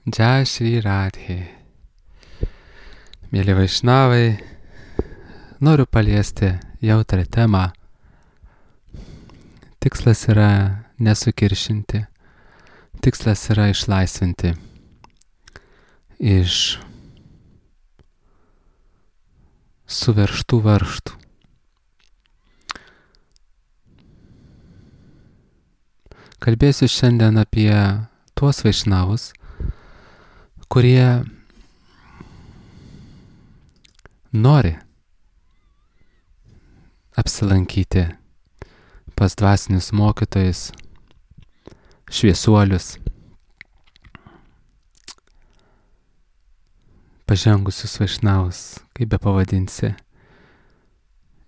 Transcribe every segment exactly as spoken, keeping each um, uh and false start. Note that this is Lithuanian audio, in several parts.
Jai Shri Radhe. Mėly vaišnavai, noriu paliesti jautrą temą. Tikslas yra nesukiršinti, tikslas yra išlaisvinti iš suverštų varžtų. Kalbėsiu šiandien apie tuos vaišnavus, kurie nori apsilankyti pas dvasinius mokytojus, šviesuolius, pažengusius vaišnavus, kaip be pavadinsi,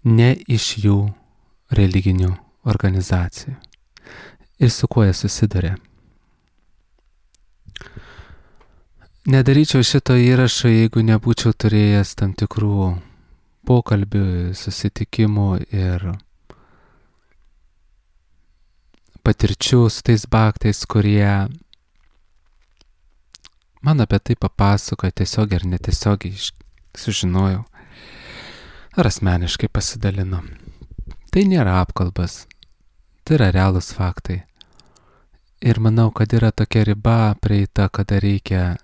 ne iš jų religinių organizacijų. Ir su kuo jie susiduria. Nedaryčiau šito įrašo, jeigu nebūčiau turėjęs tam tikrų pokalbių, susitikimų ir patirčių su tais bhaktais, kurie man apie tai papasakojo tiesiog ir netiesiogiai sužinojau ar asmeniškai pasidalino. Tai nėra apkalbas, tai yra realūs faktai. Ir manau, kad yra tokia riba prieita, kada reikia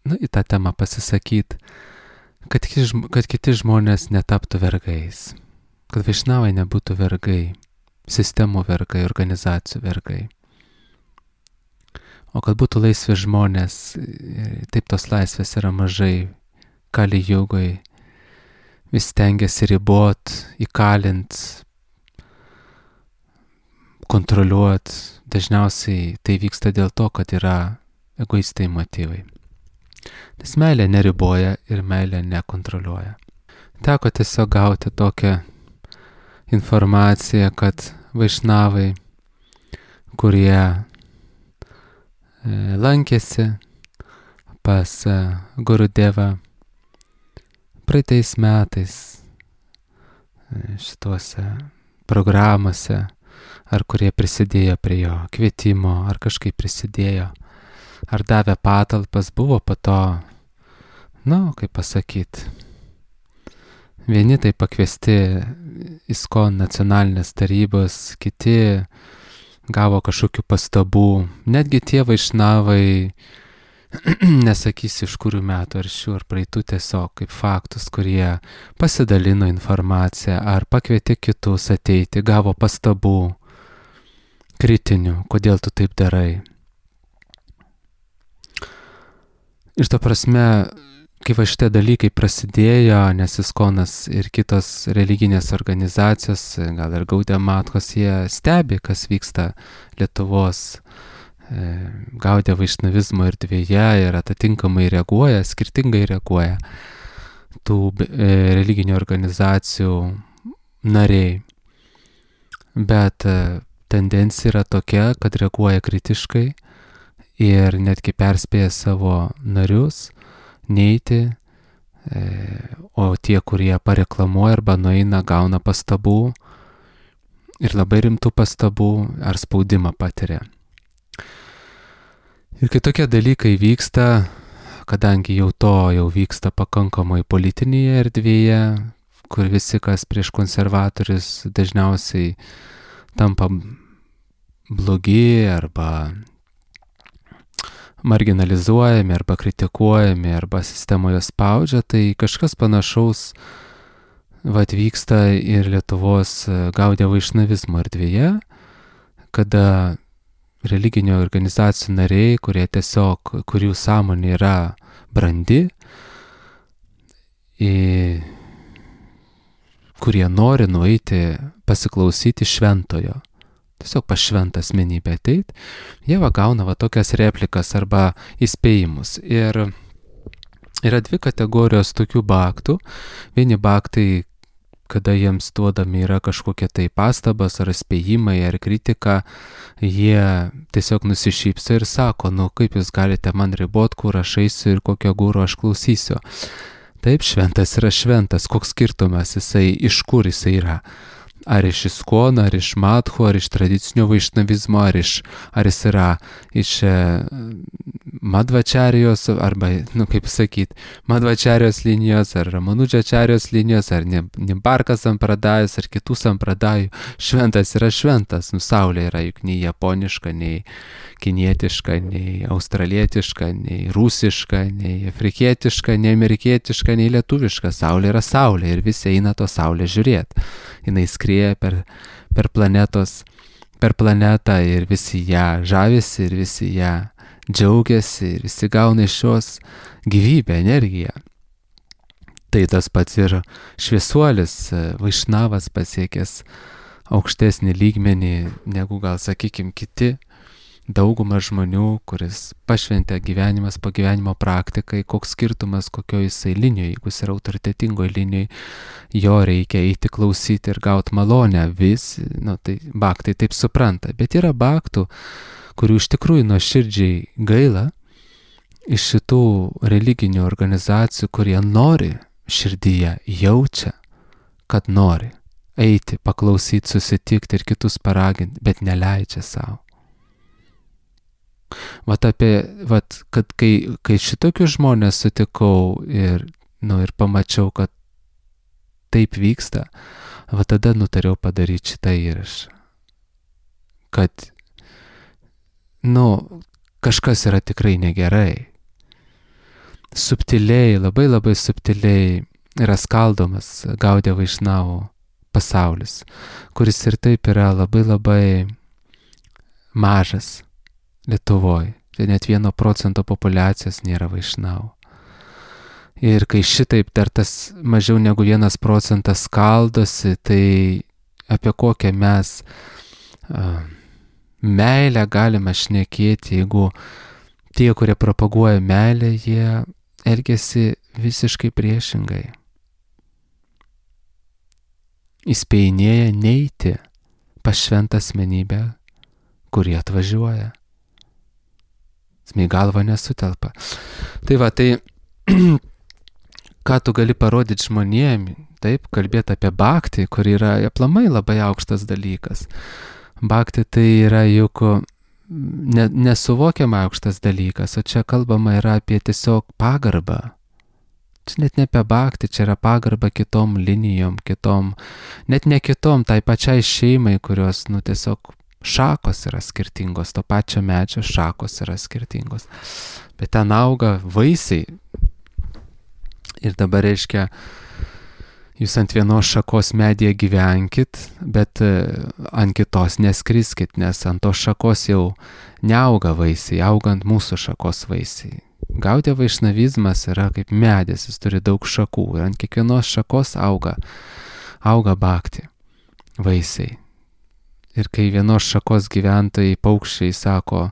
nu, į tą temą pasisakyti, kad, kad kiti žmonės netaptų vergais, kad vaišnavai nebūtų vergai, sistemų vergai, organizacijų vergai. O kad būtų laisvi žmonės, taip tos laisvės yra mažai, kali jogoj, vis stengiasi ribot, įkalint, kontroliuot. Dažniausiai tai vyksta dėl to, kad yra egoistai motyvai. Nes meilė neriboja ir meilė nekontroliuoja. Teko tiesiog gauti tokią informaciją, kad vaišnavai, kurie lankėsi pas Gurudevą praeitais metais šituose programuose, ar kurie prisidėjo prie jo kvietimo, ar kažkaip prisidėjo, ar davė patalpas, buvo po to, nu, kaip pasakyti, vieni tai pakviesti ISKCON nacionalinės tarybos, kiti gavo kažkokių pastabų, netgi tie vaišnavai, nesakysiu iš kurių metų, ar šių, ar praeitų, tiesiog kaip faktus, kurie pasidalino informaciją, ar pakvietė kitus ateiti, gavo pastabų, kritinių, kodėl tu taip darai. Ir to prasme, kai va šitie dalykai prasidėjo, nes ISKCONas ir kitos religinės organizacijos, gal ir Gaudiya Mathos, jie stebi, kas vyksta Lietuvos e, Gaudiya vaišnavizmo erdvėje ir atitinkamai reaguoja, skirtingai reaguoja tų e, religinių organizacijų nariai. Bet e, tendencija yra tokia, kad reaguoja kritiškai ir netgi perspėja savo narius neiti, e, o tie, kurie pareklamuoja arba nueina, gauna pastabų ir labai rimtų pastabų ar spaudimą patiria. Ir kai tokie dalykai vyksta, kadangi jau to jau vyksta pakankamai politinėje erdvėje, kur visi, kas prieš konservatorius, dažniausiai tampa blogi arba marginalizuojami arba kritikuojami arba sistemoje spaudžia, tai kažkas panašaus vat vyksta ir Lietuvos Gaudiya vaišnavizmo erdvėje, kada religinių organizacijų nariai, kurie tiesiog, kurių sąmonė yra brandi, į, kurie nori nueiti pasiklausyti šventojo, tiesiog pas šventą asmenybę ateit, jie va gauna va tokias replikas arba įspėjimus. Ir yra dvi kategorijos tokių bhaktų. Vieni bhaktai, kada jiems duodami yra kažkokie tai pastabas ar įspėjimai ar kritika, jie tiesiog nusišypso ir sako, nu kaip jūs galite man ribot, kur aš eisiu ir kokio guru aš klausysiu. Taip, šventas yra šventas, koks skirtumas jisai, iš kur jisai yra. ar iš ISKCON, ar iš Madhų, ar iš tradicinio vaišnavizmo, ar, iš, ar jis yra iš Madvačarijos, arba, nu kaip sakyt, Madvačarijos linijos, ar Ramanudžačarijos linijos, ar Nimbarka sampradajos, ar kitų sampradajų, šventas yra šventas. Nu, saulė yra juk nei japoniška, nei kinietiška, nei australietiška, nei rusiška, nei afrikietiška, nei amerikietiška, nei lietuviška. Saulė yra saulė ir visi eina to saulę žiūrėti. Jis skrieja per, per planetos, per planetą ir visi ją žavisi ir visi ją džiaugiasi ir visi gauna iš šios gyvybę, energiją. Tai tas pats ir šviesuolis, Vaišnavas pasiekęs aukštesnį lygmenį negu gal, sakykim, kiti dauguma žmonių, kuris pašventė gyvenimas po gyvenimo praktikai, koks skirtumas kokioj jisai linijoje, jeigu jis yra autoritetingoje linijoje, jo reikia eiti klausyti ir gauti malonę. Vis, nu, tai bhaktai taip supranta, bet yra bhaktų, kurių iš tikrųjų nuoširdžiai gaila iš šitų religinių organizacijų, kurie nori širdyje, jaučia, kad nori eiti, paklausyti, susitikti ir kitus paraginti, bet neleidžia savo. Vat apie, vat, kad kai, kai šitokius žmonės sutikau ir, nu, ir pamačiau, kad taip vyksta, va tada nutariau padaryti šitą įrašą. Kad, nu, kažkas yra tikrai negerai. Subtiliai, labai labai subtiliai yra skaldomas Gaudiya Vaišnavų pasaulis, kuris ir taip yra labai labai mažas Lietuvoje. Tai net vieno procento populiacijos nėra Vaišnavų. Ir kai šitaip dar tas mažiau negu vienas procentas skaldosi, tai apie kokią mes uh, meilę galime šnekėti, jeigu tie, kurie propaguoja meilę, jie elgiasi visiškai priešingai. Įspėjinėja neiti pas šventą asmenybę, kurie atvažiuoja. Smai galva nesutelpa. Tai va, tai ką tu gali parodyti žmonėm, taip, kalbėti apie bhaktį, kur yra aplamai labai aukštas dalykas. Bhaktį tai yra juk ne, nesuvokiama aukštas dalykas, o čia kalbama yra apie tiesiog pagarbą. Čia net ne apie bhaktį, čia yra pagarba kitom linijom, kitom, net ne kitom, tai pačiai šeimai, kurios, nu, tiesiog šakos yra skirtingos, to pačio medžio šakos yra skirtingos. Bet ten auga vaisiai. Ir dabar reiškia, jūs ant vienos šakos medyje gyvenkit, bet ant kitos neskriskit, nes ant tos šakos jau neauga vaisiai, auga ant mūsų šakos vaisiai. Gaudiya vaišnavizmas yra kaip medis, jis turi daug šakų ir ant kiekvienos šakos auga, auga bhakti, vaisiai. Ir kai vienos šakos gyventojai, paukščiai sako,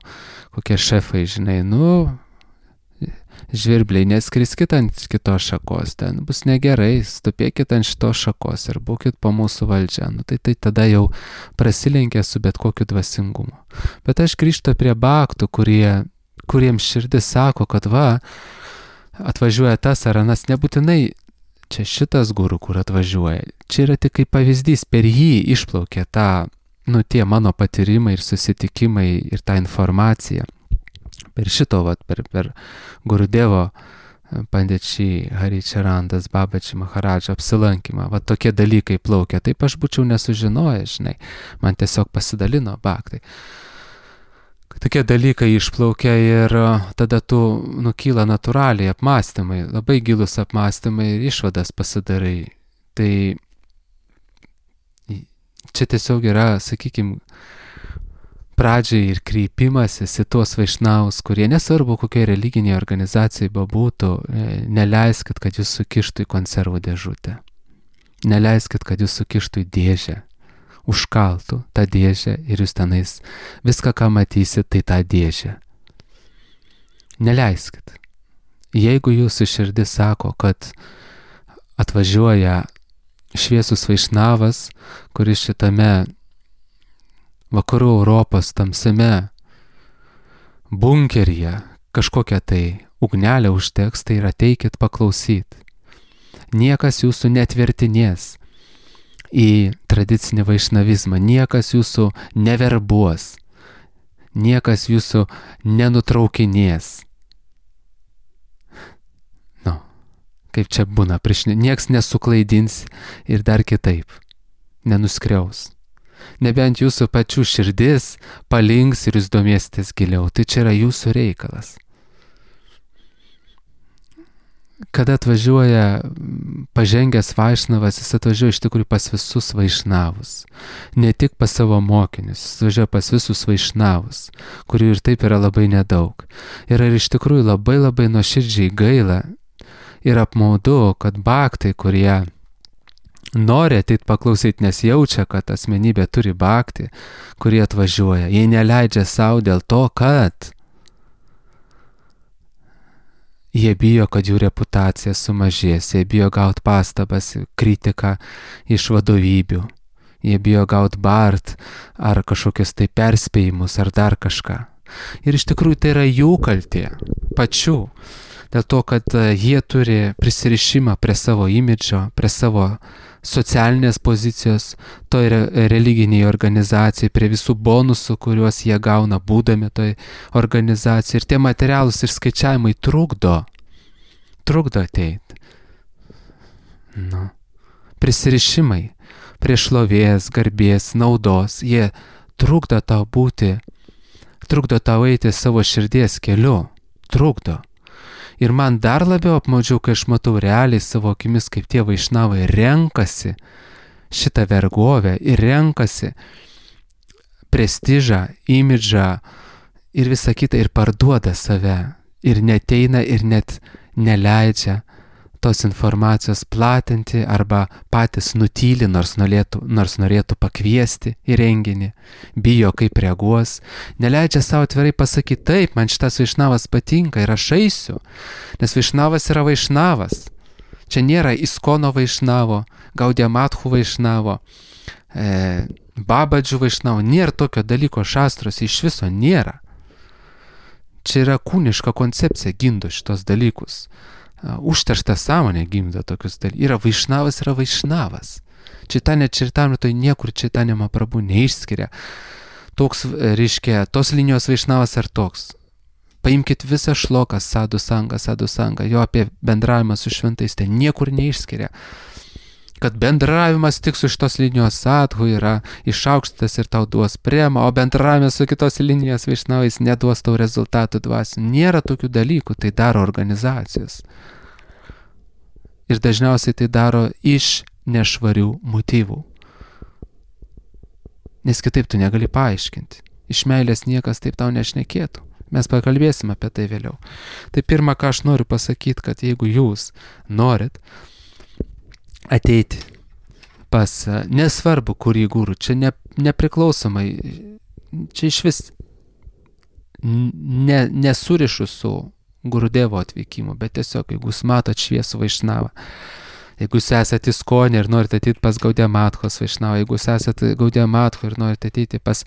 kokie šefai, žinai, nu, žvirbliai, neskriskit ant kitos šakos, ten bus negerai, stupėkit ant šitos šakos ir būkit po mūsų valdžią. Nu, tai, tai tada jau prasilenkia su bet kokiu dvasingumu. Bet aš grįžtu prie bhaktų, kurie, kuriems širdis sako, kad va, atvažiuoja tas ar anas, nebūtinai čia šitas guru, kur atvažiuoja. Čia yra tik kaip pavyzdys, per jį išplaukia ta, nu, tie mano patyrimai ir susitikimai ir ta informacija. Per šito, vat, per, per Gurudevo Pandetšį Haričarandas Babači Maharadžą apsilankymą, va tokie dalykai plaukia. Taip aš būčiau nesužinojęs, žinai, man tiesiog pasidalino bhaktai. Tokie dalykai išplaukia ir tada tu nukyla natūraliai apmąstymai, labai gilus apmąstymai ir išvadas pasidarai. Tai čia tiesiog yra, sakykime, pradžiai ir kreipimasis į tuos vaišnavus, kurie nesvarbu kokiai religiniai organizacijai bebūtų, neleiskit, kad jūs sukištų į konservų dėžutę. Neleiskit, kad jūs sukištų į dėžę. Užkaltų tą dėžę ir jūs tenais viską, ką matysit, tai tą dėžę. Neleiskit. Jeigu jūsų širdis sako, kad atvažiuoja šviesus vaišnavas, kuris šitame vakarų Europos tamsiame bunkeryje kažkokią tai ugnelę užteks, tai ir ateikit paklausyt. Niekas jūsų netvertinės į tradicinį vaišnavizmą, niekas jūsų neverbuos, niekas jūsų nenutraukinės. kaip čia būna, prieš nieks nesuklaidins ir dar kitaip, nenuskriaus. Nebent jūsų pačių širdis palinks ir jūs domėsitės giliau, tai čia yra jūsų reikalas. Kada atvažiuoja pažengęs vaišnavas, jis atvažiuoja iš tikrųjų pas visus vaišnavus. Ne tik pas savo mokinius, jis atvažiuoja pas visus vaišnavus, kurių ir taip yra labai nedaug. Ir ar iš tikrųjų labai labai nuoširdžiai gaila ir apmaudu, kad bhaktai, kurie nori ateit paklausyti, nes jaučia, kad asmenybė turi bhakti, kurie atvažiuoja, jie neleidžia savo dėl to, kad jie bijo, kad jų reputacija sumažės, jie bijo gauti pastabas, kritiką iš vadovybių, jie bijo gauti bart ar kažkokius tai perspėjimus ar dar kažką. Ir iš tikrųjų tai yra jų kaltė, pačių, dėl to, kad jie turi prisirišimą prie savo imidžo, prie savo socialinės pozicijos, toj religiniai organizacijai, prie visų bonusų, kuriuos jie gauna būdami toj organizacijai. Ir tie materialūs išskaičiavimai trukdo, trukdo ateiti. Nu. Prisirišimai prie šlovės, garbės, naudos, jie trukdo tau būti, trukdo tau eiti savo širdies keliu, trukdo. Ir man dar labiau apmaudžiau, kai aš matau realiai savo akimis, kaip tie vaišnavai renkasi šitą vergovę ir renkasi prestižą, imidžą ir visą kitą ir parduoda save. Ir neteina ir net neleidžia tos informacijos platinti arba patys nutyli, nors norėtų, nors norėtų pakviesti į renginį, bijo kaip reaguos, neleidžia savo atvirai pasakyti, taip, man šitas vaišnavas patinka ir aš eisiu, nes vaišnavas yra vaišnavas. Čia nėra Iskono vaišnavo, Gaudiya Mathu vaišnavo, e, Babadžių vaišnavo, nėra tokio dalyko šastrose, iš viso nėra. Čia yra kūniška koncepcija gimdo šitos dalykus. Užteršta sąmonė gimdo tokius dalykus. Yra vaišnavas, yra vaišnavas. Čitanya Čaritamritoje niekur Čitanya Mahaprabhu neišskiria. Toks, reiškia, tos linijos vaišnavas ar toks. Paimkit visą šloką Sadhu Sangha, Sadhu Sangha, jo apie bendravimą su šventais, tai niekur neišskiria. Kad bendravimas tik su šitos linijos sadhu yra išaukštas ir tau duos prema, o bendravimas su kitos linijos vaišnavais neduos tau rezultatų dvasių. Nėra tokių dalykų, tai daro organizacijos. Ir dažniausiai tai daro iš nešvarių motyvų. Nes kitaip tu negali paaiškinti. Iš meilės niekas taip tau nešnekėtų. Mes pakalbėsim apie tai vėliau. Tai pirma, ką aš noriu pasakyti, kad jeigu jūs norit ateiti pas, nesvarbu kurį guru, čia ne, nepriklausomai, čia iš vis ne, nesurišu su Gurudevo atvykimu, bet tiesiog, jeigu jūs matot šviesų vaišnavą, jeigu jūs esate Iskone ir norite ateiti pas Gaudiya Mathos vaišnavą, jeigu jūs esate Gaudiya Matho ir norite ateiti pas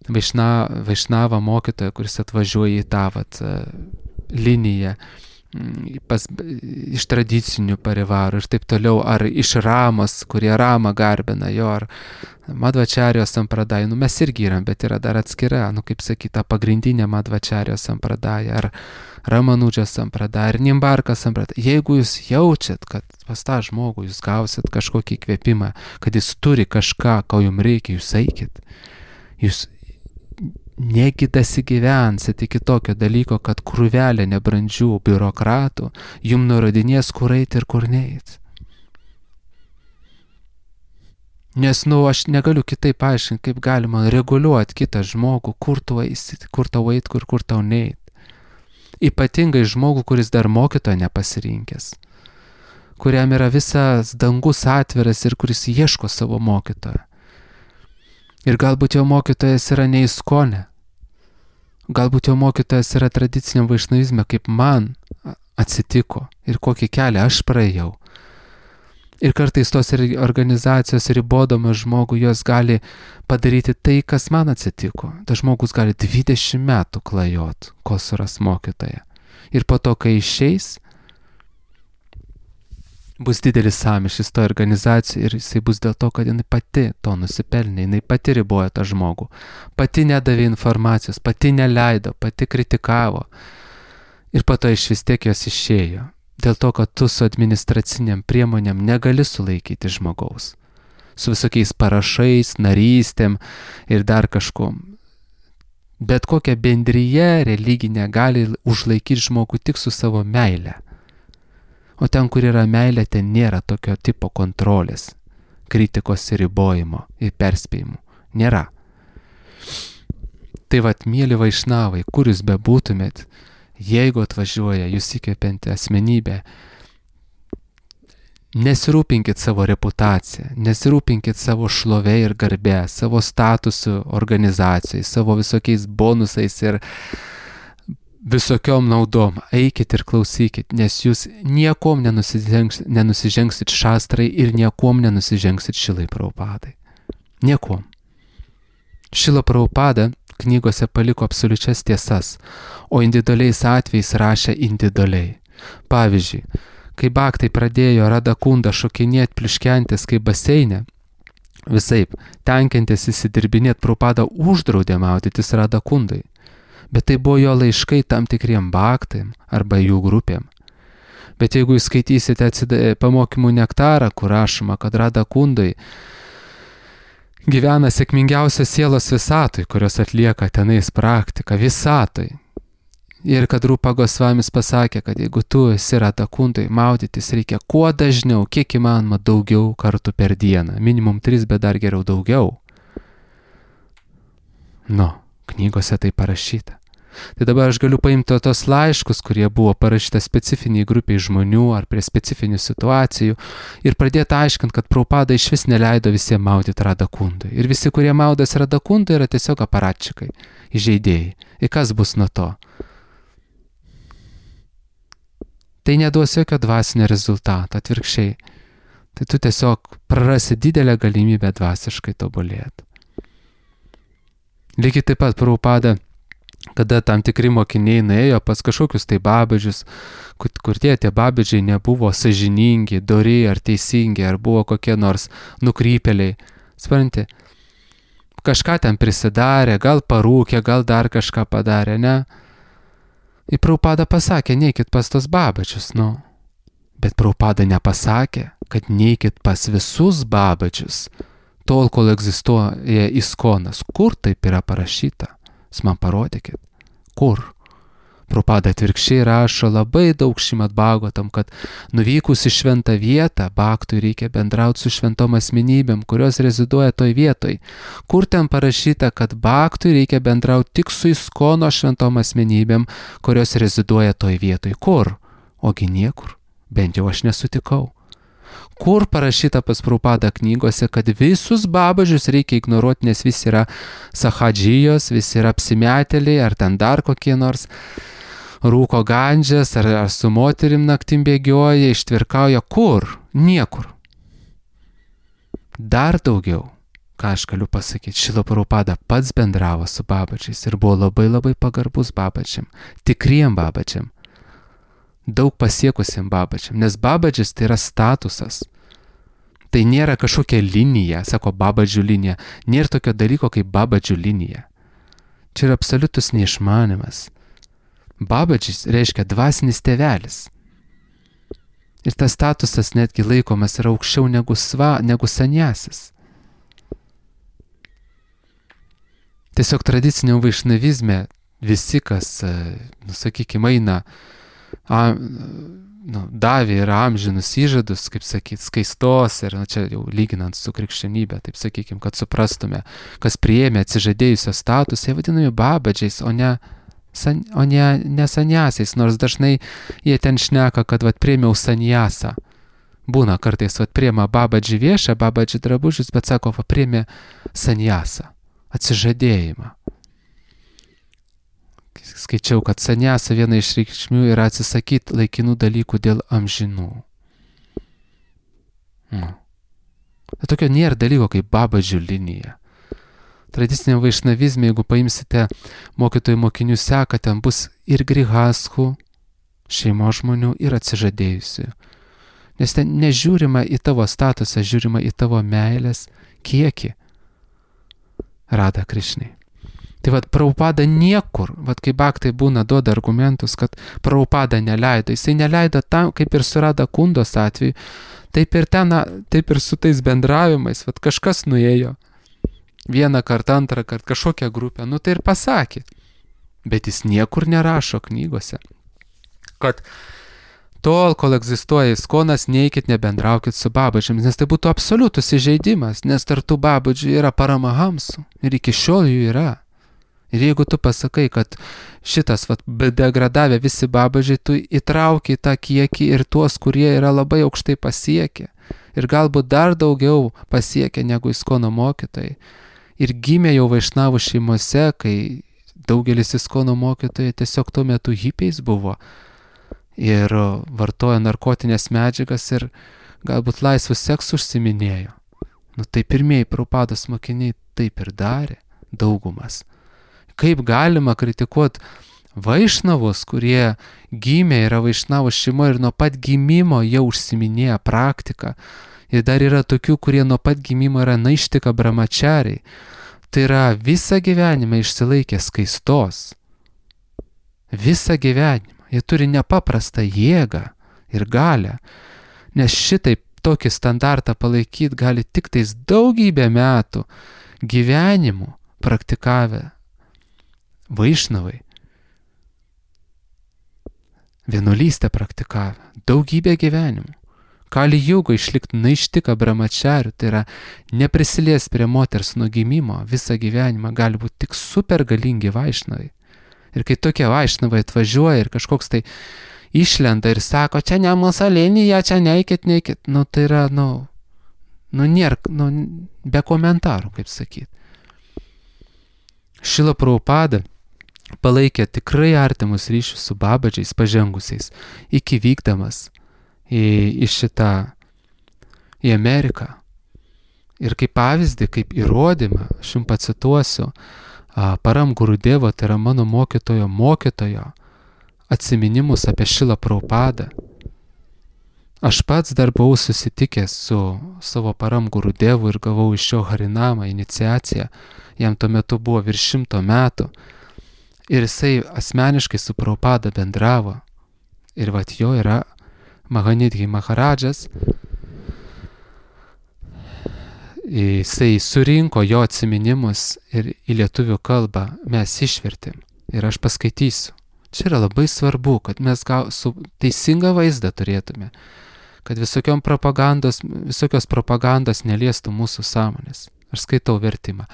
vaišna, vaišnavą mokytoją, kuris atvažiuoja į tą vat, liniją, pas, iš tradicinių parivarų ir taip toliau, ar iš Ramos, kurie Ramą garbina jo, ar Madhvačarijos sampradai, nu mes irgi įram, bet yra dar atskira, nu kaip sakyta, pagrindinė Madhvačarijos sampradai, ar Ramanudžos sampradai, ar Nimbarkas sampradai. Jeigu jūs jaučiat, kad pas tą žmogų jūs gausit kažkokį įkvėpimą, kad jis turi kažką, ko jums reikia, jūs eikit. Jūs negi dasigyvensit iki tokio dalyko, kad krūvelė nebrandžių biurokratų jum nurodinės, kur eiti ir kur neiti. Nes, nu, aš negaliu kitaip paaiškinti, kaip galima reguliuoti kitą žmogų, kur tu eisi, kur tau eit, kur, kur tau neit. Ypatingai žmogų, kuris dar mokytojo nepasirinkęs, kuriam yra visas dangus atviras ir kuris ieško savo mokytojo. Ir galbūt jo mokytojas yra ne Iskone. Galbūt jo mokytojas yra tradiciniam vaišnavizme, kaip man atsitiko ir kokį kelią aš praėjau. Ir kartais tos organizacijos ribodamas žmogų, jos gali padaryti tai, kas man atsitiko. Tas žmogus gali dvidešimt metų klajot, kol suras mokytoją. Ir po to, kai išeis, bus didelis sąmyšis to organizacijai ir jisai bus dėl to, kad jinai pati to nusipelnė, jinai pati riboja tą žmogų, pati nedavė informacijos, pati neleido, pati kritikavo ir po to iš vis tiek jos išėjo. dėl to, kad tu su administraciniam priemonėm negali sulaikyti žmogaus. Su visokiais parašais, narystėm ir dar kažkom. Bet kokia bendryje religinė gali užlaikyti žmogų tik su savo meile. O ten, kur yra meilė, ten nėra tokio tipo kontrolės, kritikos ir ribojimo ir perspėjimų. Nėra. Tai vat, mėly vaišnavai, kur jūs bebūtumėt, jeigu atvažiuoja jūs įkvepianti asmenybė, nesirūpinkit savo reputaciją, nesirūpinkit savo šlovę ir garbę, savo statusu organizacijai, savo visokiais bonusais ir visokiom naudom. Eikit ir klausykit, nes jūs niekom nenusižengs, nenusižengsit šastrai ir niekom nenusižengsit Šilai Prabhupadai. Niekom. Šila Prabhupada knygose paliko absoliučias tiesas, o individualiais atvejais rašė individualiai. Pavyzdžiui, kai baktai pradėjo Radakunda šokinėti pliuškentis kaip baseinė, visaip, tenkintis įsidirbinėti, Prabhupada uždraudė maudytis Radakundai. Bet tai buvo jo laiškai tam tikriem baktaim arba jų grupėm. Bet jeigu jūs skaitysite atsida, pamokymų nektarą, kur rašoma, kad Radakundai gyvena sėkmingiausios sielos visatoj, kurios atlieka tenais praktiką visatoj. Ir kad Rupa Gosvamis pasakė, kad jeigu tu esi Radakundai, maudytis reikia kuo dažniau, kiek įmanoma daugiau kartų per dieną. Minimum tris, bet dar geriau daugiau. Nu, knygose tai parašyta. Tai dabar aš galiu paimti tos laiškus, kurie buvo parašyta specifiniai grupiai žmonių ar prie specifinių situacijų ir pradėti aiškinti, kad Prabhupada iš vis neleido visiems maudyti Radakundai. Ir visi, kurie maudas Radakundai, yra tiesiog aparatčikai, įžeidėjai. Ir kas bus nuo to? Tai neduos jokio dvasinio rezultato, atvirkščiai. Tai tu tiesiog prarasi didelę galimybę dvasiškai tobulėti. Lygiai taip pat Prabhupada, kada tam tikri mokiniai nuėjo pas kažkokius tai babadžius, kur, kur tie tie babadžiai nebuvo sąžiningi, dori ar teisingi, ar buvo kokie nors nukrypėliai. Supranti, kažką ten prisidarė, gal parūkė, gal dar kažką padarė, ne? Ir Prabhupada pasakė, neikit pas tos babadžius, nu. Bet Prabhupada nepasakė, kad neikit pas visus babadžius, tol, kol egzistuoja iskonas. Kur taip yra parašyta? Jūs man parodykit. Kur? Prabhupada atvirkščiai rašo labai daug Šrimad Bhagavatam, kad nuvykus į šventą vietą, baktui reikia bendrauti su šventom asmenybėm, kurios reziduoja toj vietoj. Kur ten parašyta, kad baktui reikia bendrauti tik su iskono šventom asmenybėm, kurios reziduoja toj vietoj? Kur? Ogi niekur. Bent jau aš nesutikau. Kur parašyta pas Prabhupada knygose, kad visus babažius reikia ignoruoti, nes visi yra sahadžijos, visi yra apsimetėliai, ar ten dar kokie nors rūko gandžias, ar, ar su moterim naktim bėgioja, ištvirkauja. Kur? Niekur. Dar daugiau, ką aš galiu pasakyti, Šrila Prabhupada pats bendravo su babačiais ir buvo labai labai pagarbus babačiam, tikriem babačiam. Daug pasiekusiam babačiam, nes babadžis tai yra statusas. Tai nėra kažkokia linija, sako babadžių linija, nėra tokio dalyko kaip babadžių linija. Čia yra absoliutus neišmanimas. Babadžis reiškia dvasinis tėvelis. Ir tas statusas netgi laikomas yra aukščiau negu, sva, negu sanjasis. Tiesiog tradiciniam vaišnavizme visi, kas, nu, sakykime, eina A, nu, davė ir amžinus įžadus, kaip sakyti, skaistos ir, na, čia jau lyginant su krikščionybė, taip sakykime, kad suprastume, kas priėmė atsižadėjusio statusą, jie vadinami babadžiais, o ne, san, o ne, ne sanjasiais, nors dažnai jie ten šneka, kad vat priėmiau sanjasą. Būna kartais, vat priėma babadžį viešą, babadžį drabužius, bet sako, va priėmė sanjasą, atsižadėjimą. Skaičiau, kad sanjasa viena iš reikšmių yra atsisakyti laikinų dalykų dėl amžinų. Nu. Bet tokio nėra dalyko kaip babadžių linija. Tradiciniam vaišnavizme, jeigu paimsite mokytojų mokinių seką, ten bus ir grihaskų, šeimos žmonių, ir atsižadėjusių. Nes ten nežiūrima į tavo statusą, žiūrima į tavo meilės kiekį. Rada Krišnai. Tai vad Prabhupada niekur, vad kai Bhaktai būna duoda argumentus, kad Prabhupada neleido, jisai neleido tam, kaip ir su Radha Kundos atveju, taip ir ten, taip ir su tais bendravimais, vad kažkas nuėjo vieną kartą, antrą kartą, kažkokią grupę, nu tai ir pasakė, bet jis niekur nerašo knygose, kad tol, kol egzistuoja Iskonas, neikit, nebendraukit su Babadžiams, nes tai būtų absoliutus įžeidimas, nes tarp tų Babadžių yra Paramahamsų ir iki šiol jų yra. Ir jeigu tu pasakai, kad šitas vat, degradavę visi Babadžiai, tu įtrauki tą kiekį ir tuos, kurie yra labai aukštai pasiekę ir galbūt dar daugiau pasiekę negu Iskono mokytojai. Ir gimė jau Vaišnavų šeimose, kai daugelis Iskono mokytojai tiesiog tuo metu hipiais buvo ir vartojo narkotinės medžiagas ir galbūt laisvų seksų užsiminėjo. Nu tai pirmieji Prabhupados mokiniai taip ir darė, daugumas. Kaip galima kritikuoti Vaišnavus, kurie gimė, yra Vaišnavų šeimo ir nuo pat gimimo jau užsiminėja praktiką. Ir dar yra tokių, kurie nuo pat gimimo yra naištika brahmachariai. Tai yra visą gyvenimą išsilaikė skaistos. Visą gyvenimą. Jie turi nepaprastą jėgą ir galę, nes šitaip tokį standartą palaikyti gali tik tais daugybę metų gyvenimų praktikavę Vaišnavai. Vienuolystę praktikavę, daugybę gyvenimų. Kali Jugo išlikti naištika brahmacharių, tai yra neprisilies prie moters nuo gimimo, visą gyvenimą gali būti tik super galingi Vaišnavai. Ir kai tokie Vaišnavai atvažiuoja ir kažkoks tai išlenda ir sako, čia ne musalinija, čia neikit, neikit, nu tai yra, nu, nu nėra, nu, be komentarų, kaip sakyti. Šrila Prabhupada palaikė tikrai artimus ryšius su Babadžiais pažengusiais, iki vykdamas į, į šitą, į Ameriką. Ir kaip pavyzdį, kaip įrodymą, aš jums pacituosiu, Param Gurudevo, tai yra mano mokytojo mokytojo atsiminimus apie Šrilą Prabhupadą. Aš pats dar buvau susitikęs su savo Param Gurudevu ir gavau iš jo Harinamą iniciaciją. Jam tuo metu buvo virš šimto metų. Ir jisai asmeniškai su Prabhupada bendravo. Ir vat jo yra Mahanidhi Maharadžas. Jisai surinko jo atsiminimus ir į lietuvių kalbą mes išvertėm. Ir aš paskaitysiu. Čia yra labai svarbu, kad mes gau, su teisingą vaizdą turėtume, kad visokios propagandos, visokios propagandos neliestų mūsų sąmonės. Aš skaitau vertimą.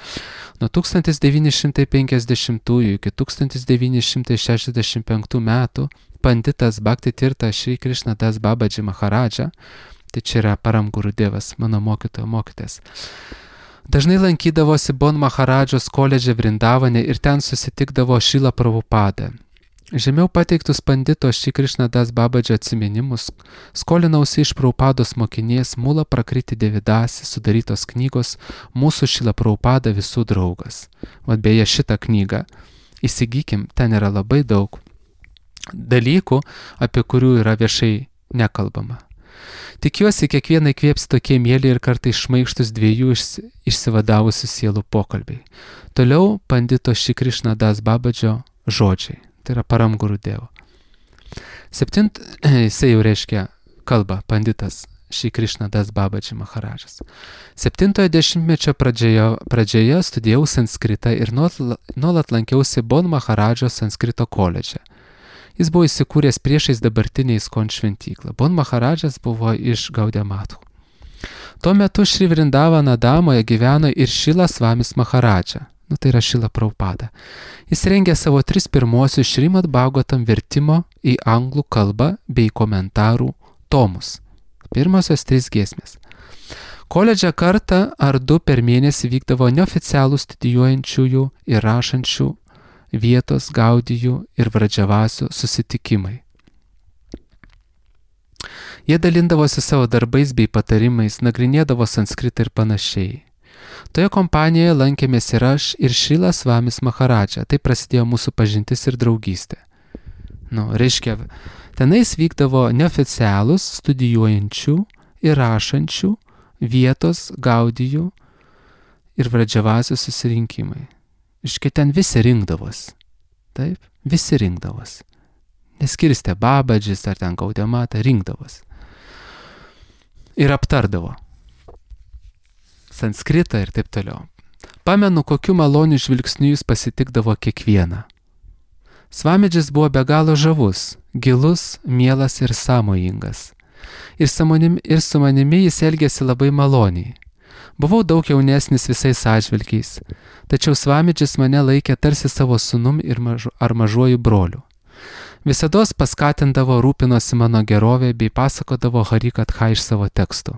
Nuo tūkstantis devyni šimtai penkiasdešimtųjų iki tūkstantis devyni šimtai šešiasdešimt penktų metų panditas Bhakti Tirtha Šri Krishna Das Babaji Maharadža, tai čia yra Param Gurudevas, mano mokytojo mokytojas, dažnai lankydavosi Bon Maharadžos koledže Vrindavane ir ten susitikdavo Šrilą Prabhupadą. Žemiau pateiktus pandito Šri Krishna Das Babadžio atsiminimus skolinausi iš Prabhupados mokinės Mula Prakriti Devidasi sudarytos knygos Mūsų Šrila Prabhupada visų draugas. Vat beje šitą knygą įsigykim, ten yra labai daug dalykų, apie kurių yra viešai nekalbama. Tikiuosi, kiekvieną įkvėps tokie mėly ir kartais šmaikštus dviejų išsivadavusių sielų pokalbiai. Toliau pandito Šri Krishna Das Babadžio žodžiai. Tai yra Param Gurudevo. Septint, jisai jau reiškia kalba, panditas Šri Krishna Das Babaji Maharadžas. Septintojo dešimtmečio pradžioje, pradžioje studijau sanskritą ir nuolat lankiausi Bon Maharadžo sanskrito koledže. Jis buvo įsikūręs priešais dabartinę Iskon šventyklą. Bon Maharadžas buvo iš Gaudiamathų. Tuo metu Šri Vrindavana damoje gyveno ir Šrilas Svamis Maharadža. Nu, tai yra Šrila Prabhupada. Jis rengė savo tris pirmosius Šrimad Bhagavatam vertimo į anglų kalbą bei komentarų tomus. Pirmosios trys giesmės. Koledže kartą ar du per mėnesį vykdavo neoficialų studijuojančiųjų ir rašančių vietos gaudijų ir vradžavasių susitikimai. Jie dalindavosi savo darbais bei patarimais, nagrinėdavo sanskritą ir panašiai. Toje kompanijoje lankėmės ir aš, ir Šrilas Svamis Maharadža. Tai prasidėjo mūsų pažintis ir draugystė. Nu, reiškia, tenais vykdavo neoficialūs studijuojančių ir rašančių vietos gaudijų ir vradžavasių susirinkimai. Iškai ten visi rinkdavos. Taip, visi rinkdavos. Neskirstė Babadžis ar ten Gaudemata, rinkdavos. Ir aptardavo. Sanskritą ir taip toliau. Pamenu, kokiu maloniu žvilgsniu jis pasitikdavo kiekvieną. Svamidžis buvo be galo žavus, gilus, mielas ir sąmojingas. Ir, samonim, ir su manimi jis elgėsi labai maloniai. Buvau daug jaunesnis visais atžvilgiais, tačiau Svamidžis mane laikė tarsi savo sūnum ir mažu, ar mažuoju broliu. Visados paskatindavo, rūpinosi mano gerovė bei pasakodavo Harikatha iš savo tekstų.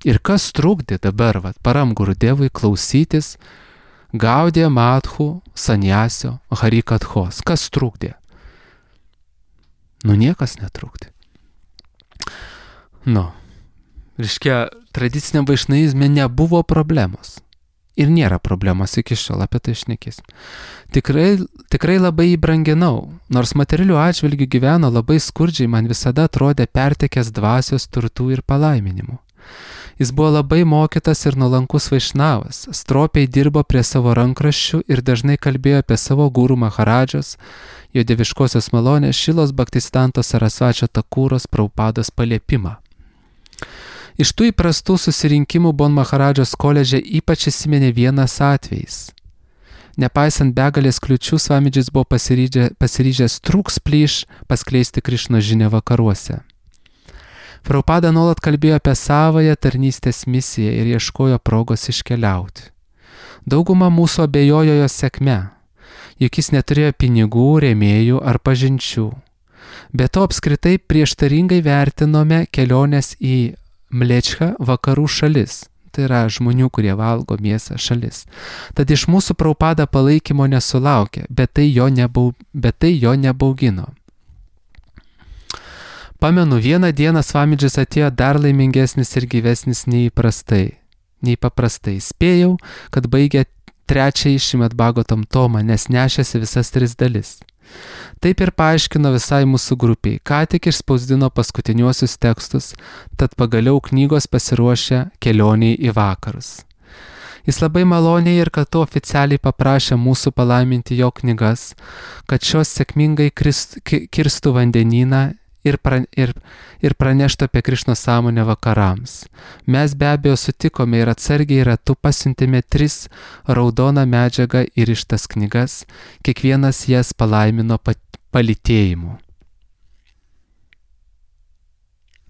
Ir kas trukdė dabar, vat, Param Gurudevui klausytis Gaudija Mathu Sanyasio Harikathos? Kas trukdė? Nu, niekas netrukdė. Nu, reiškia, tradiciniam vaišnaizme nebuvo problemos. Ir nėra problemos iki šiol, apie tai šnekėsim. Tikrai, tikrai labai jį branginau, nors materialių atžvilgių gyveno labai skurdžiai, man visada atrodė pertekęs dvasios turtų ir palaiminimų. Jis buvo labai mokytas ir nuolankus vaišnavas, stropiai dirbo prie savo rankraščių ir dažnai kalbėjo apie savo gurų Maharadžos, jo dieviškosios malonės Šilos Bhaktistanto Sarasvačio Takūros Prabhupados paliepimą. Iš tų įprastų susirinkimų Bon Maharadžos koledže ypač įsiminė vienas atvejis. Nepaisant begalės kliučių, Svamidžis buvo pasiryžę, pasiryžęs trūks plyš paskleisti Krišnos žinią vakaruose. Prabhupada nuolat kalbėjo apie savąją tarnystės misiją ir ieškojo progos iškeliauti. Dauguma mūsų abejojo jo sėkme, juk jis neturėjo pinigų, rėmėjų ar pažinčių. Be to apskritai prieštaringai vertinome keliones į Mlečką vakarų šalis, tai yra žmonių, kurie valgo mėsą šalis. Tad iš mūsų Prabhupada palaikymo nesulaukė, bet tai jo, nebau, bet tai jo nebaugino. Pamenu, vieną dieną Svamidžis atėjo dar laimingesnis ir gyvesnis nei įprastai, nei paprastai. Spėjau, kad baigė trečiąjį Šrimad Bhagavatam tomą, nes nešėsi visas tris dalis. Taip ir paaiškino visai mūsų grupiai, ką tik išspausdino paskutiniuosius tekstus, tad pagaliau knygos pasiruošė kelioniai į vakarus. Jis labai maloniai ir kartu oficialiai paprašė mūsų palaiminti jo knygas, kad šios sėkmingai krist, kirstų vandenyną ir, pra, ir, ir praneštų apie Krišnos sąmonę vakarams. Mes be abejo sutikome ir atsargiai ratu pasiuntėme tris raudoną medžiagą ir ištas knygas, kiekvienas jas palaimino palytėjimu.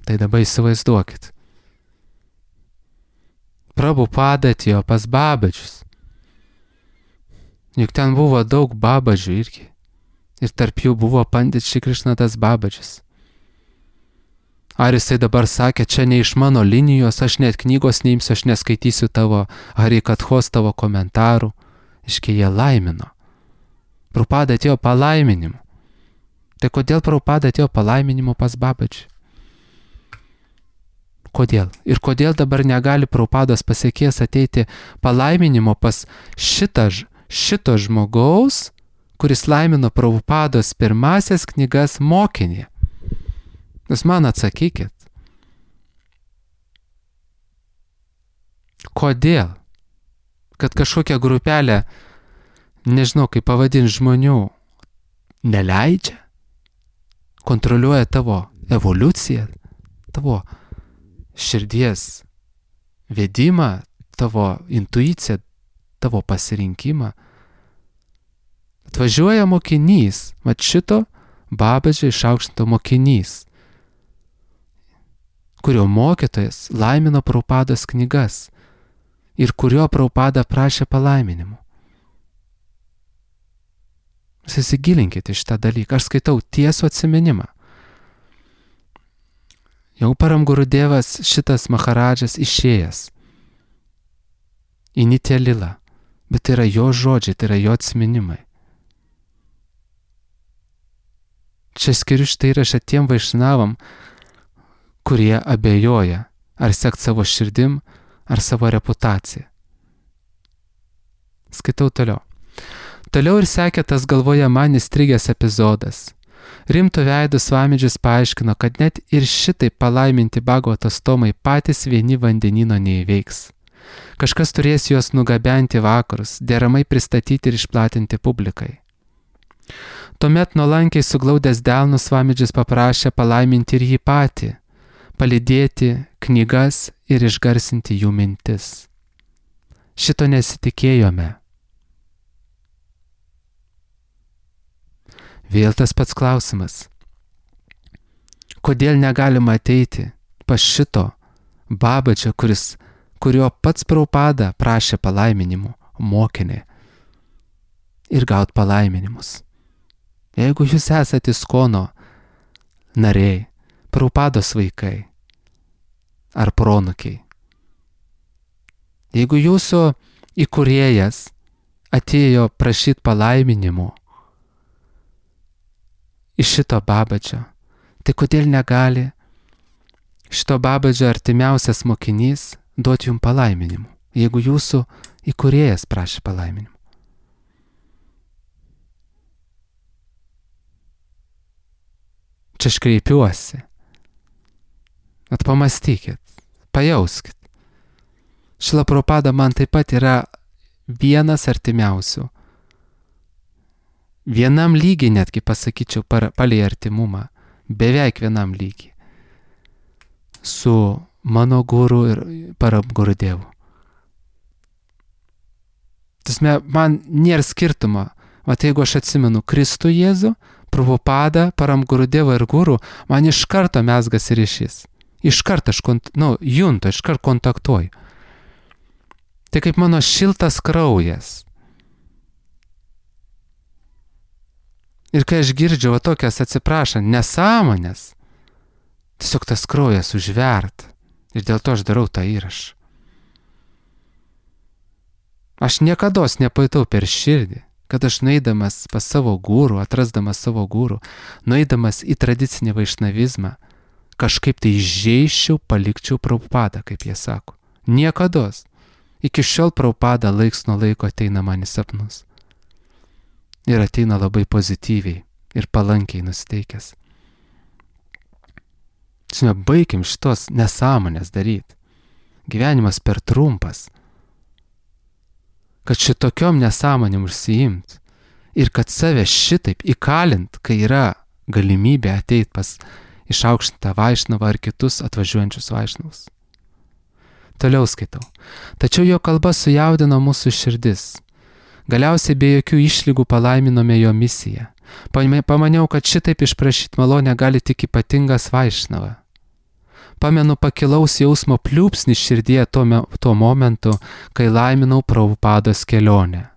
Tai dabar įsivaizduokit. Prabhupada atėjo pas Babadžius. Juk ten buvo daug Babadžių irgi. Ir tarp jų buvo pandit Šri Krišnadas Babadžis. Ar jisai dabar sakė, čia ne iš mano linijos, aš net knygos neimsiu, aš neskaitysiu tavo Harikathos, tavo komentarų. Iškai jie laimino. Prabhupada atėjo palaiminimu. Tai kodėl Prabhupada atėjo palaiminimu pas Babadžį? Kodėl? Ir kodėl dabar negali Prabhupados pasiekėjas ateiti palaiminimo pas šitą, šito žmogaus, kuris laimino Prabhupados pirmasias knygas mokinį? Jūs man atsakykit. Kodėl? Kad kažkokia grupelė, nežinau kaip pavadinti žmonių, neleidžia? Kontroliuoja tavo evoliuciją, tavo širdies vedimą, tavo intuiciją, tavo pasirinkimą. Atvažiuoja mokinys, mat šito Babadžio išaukštinto mokinys, kurio mokytojas laimino Prabhupados knygas ir kurio Prabhupada prašė palaiminimų. Įsigilinkite iš tą dalyką. Aš skaitau tiesų atsiminimą. Jau Param Gurudevas šitas Maharadžas išėjęs į Nitya Lilą, bet tai yra jo žodžiai, tai yra jo atsiminimai. Čia skiriu šitą įrašą tiem vaišnavam, kurie abejoja, ar sekt savo širdim, ar savo reputaciją. Skaitau toliau. Toliau ir sekė tas galvoje man įstrigęs epizodas. Rimtų veidų Svamidžis paaiškino, kad net ir šitai palaiminti Bhagavatos tomai patys vieni vandenino neįveiks. Kažkas turės juos nugabenti vakarus, deramai pristatyti ir išplatinti publikai. Tuomet nuolankiai suglaudęs delnus Svamidžis paprašė palaiminti ir jį patį, palydėti knygas ir išgarsinti jų mintis. Šito nesitikėjome. Vėl tas pats klausimas. Kodėl negalima ateiti pas šito Babadžio, kuris, kurio pats Prabhupada prašė palaiminimų, mokinį, ir gaut palaiminimus? Jeigu jūs esate Iskono nariai, Prabhupados vaikai ar pronukiai, jeigu jūsų įkūrėjas atėjo prašyti palaiminimų iš šito Babadžio, tai kodėl negali šito Babadžio artimiausias mokinys duoti jums palaiminimų, jeigu jūsų įkūrėjas prašė palaiminimų? Čia aš kreipiuosi. At pamastykit, pajauskit. Šrila Prabhupada man taip pat yra vienas artimiausių. Vienam lygiai netgi pasakyčiau palei artimumą, beveik vienam lygiai. Su mano guru ir Param Gurudevu. Tasme, man nėra skirtumo. Vat jeigu aš atsimenu Kristų Jėzų, Prabhupada, Param Gurudevą ir guru, man iš karto mezgasi ryšys. Iš karto aš kont, nu, juntu, iš karto kontaktuoju. Tai kaip mano šiltas kraujas. Ir kai aš girdžiu va tokias, atsiprašant, nesąmonės, tiesiog tas kraujas užvert. Ir dėl to aš darau tą įrašą. Aš niekados nepajutau per širdį, kad aš nueidamas pas savo gurų, atrasdamas savo gurų, nueidamas į tradicinį vaišnavizmą, kažkaip tai įžeiščiau, palikčiau Prabhupadą, kaip jie sako. Niekados. Iki šiol Prabhupada laiks nuo laiko ateina man į sapnus. Ir ateina labai pozityviai ir palankiai nusiteikęs. Žinoma, baigim šitos nesąmonės daryti. Gyvenimas per trumpas. Kad šitokiom nesąmonėm užsiimt ir kad save šitaip įkalint, kai yra galimybė ateiti pas išaukštintą Vaišnavą ar kitus atvažiuojančius Vaišnavus. Toliau skaitau. Tačiau jo kalba sujaudino mūsų širdis. Galiausiai be jokių išlygų palaiminome jo misiją. Pamaniau, kad šitaip išprašyti malonę gali tik ypatingas Vaišnava. Pamenu pakilaus jausmo pliūpsnį širdyje tuo, me, tuo momentu, kai laiminau Prabhupados kelionę.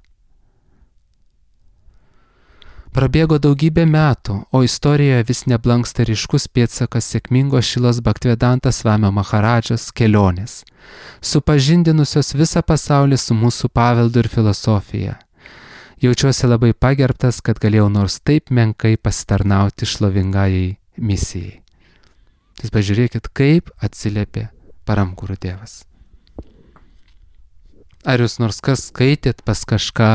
Prabėgo daugybė metų, o istorijoje vis neblanksta ryškus pėdsakas sėkmingo Šrilos Bhaktivedanta Svamio Maharadžos kelionės, supažindinusios visą pasaulį su mūsų paveldu ir filosofija. Jaučiuosi labai pagerbtas, kad galėjau nors taip menkai pasitarnauti šlovingajai misijai. Tai pažiūrėkit, kaip atsiliepė Param Gurudevas. Ar jūs nors kas skaitėt pas kažką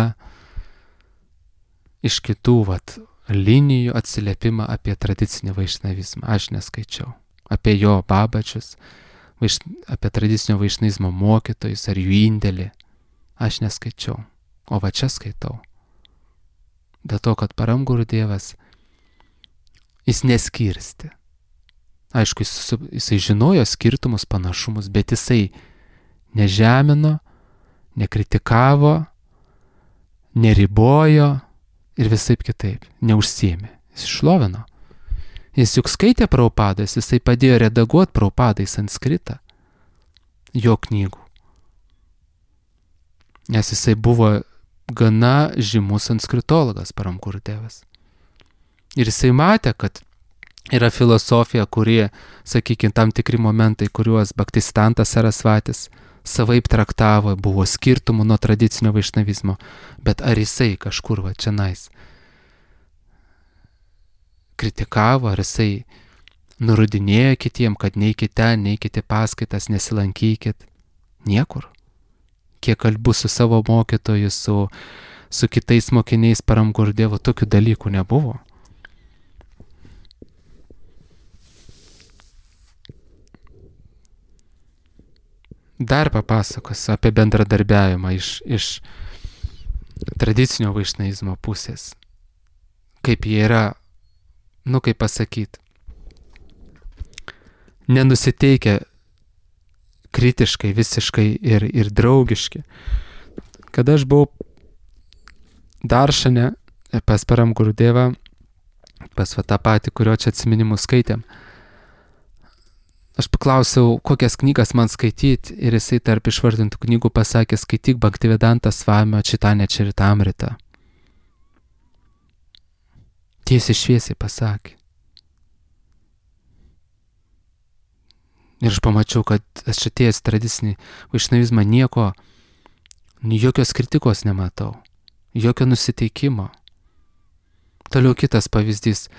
iš kitų vat, linijų atsiliepimą apie tradicinį vaišnavizmą? Aš neskaičiau. Apie jo Babadžius, vaiš, apie tradicinio vaišnavizmo mokytojus ar jų indėlį. Aš neskaičiau. O va čia skaitau. Dėl to, kad Param Gurudevas jis neskirsti. Aišku, jis, jisai žinojo skirtumus, panašumus, bet jisai nežemino, nekritikavo, neribojo ir visaip kitaip, neužsiėmė. Jis šlovino. Jis juk skaitė Prabhupadas, jisai padėjo redaguoti Prabhupadą į sanskritą, jo knygų. Nes jisai buvo gana žymus sanskritologas, Param Gurudevas. Ir jisai matė, kad yra filosofija, kurie, sakykime, tam tikri momentai, kuriuos Bhaktisiddhanta Sarasvatis savaip traktavo, buvo skirtumų nuo tradicinio vaišnavizmo, bet ar jisai kažkur va čia nais kritikavo, ar jisai nurodinėjo kitiem, kad neikite ten, neikite paskaitas, nesilankykit? Niekur. Kiek kalbu su savo mokytoju, su, su kitais mokiniais Param Gurudevu, tokių dalykų nebuvo. dar papasakos apie bendradarbiavimą iš, iš tradicinio vaišnavizmo pusės. Kaip jie yra, nu kaip pasakyti, nenusiteikę kritiškai, visiškai ir, ir draugiški. Kada aš buvau Daršane pas Param Gurudevą, pas va tą patį, kurio čia atsiminimus skaitėm, aš paklausiau, kokias knygas man skaityti, ir jisai tarp išvardintų knygų pasakė, skaityk Bhaktivedanta Swamio Chaitanya Charitamrita. Tiesiai šviesiai pasakė. Ir aš pamačiau, kad aš atėjęs tradicinį vaišnavizmą nieko, jokios kritikos nematau, jokio nusiteikimo. Toliau kitas pavyzdys.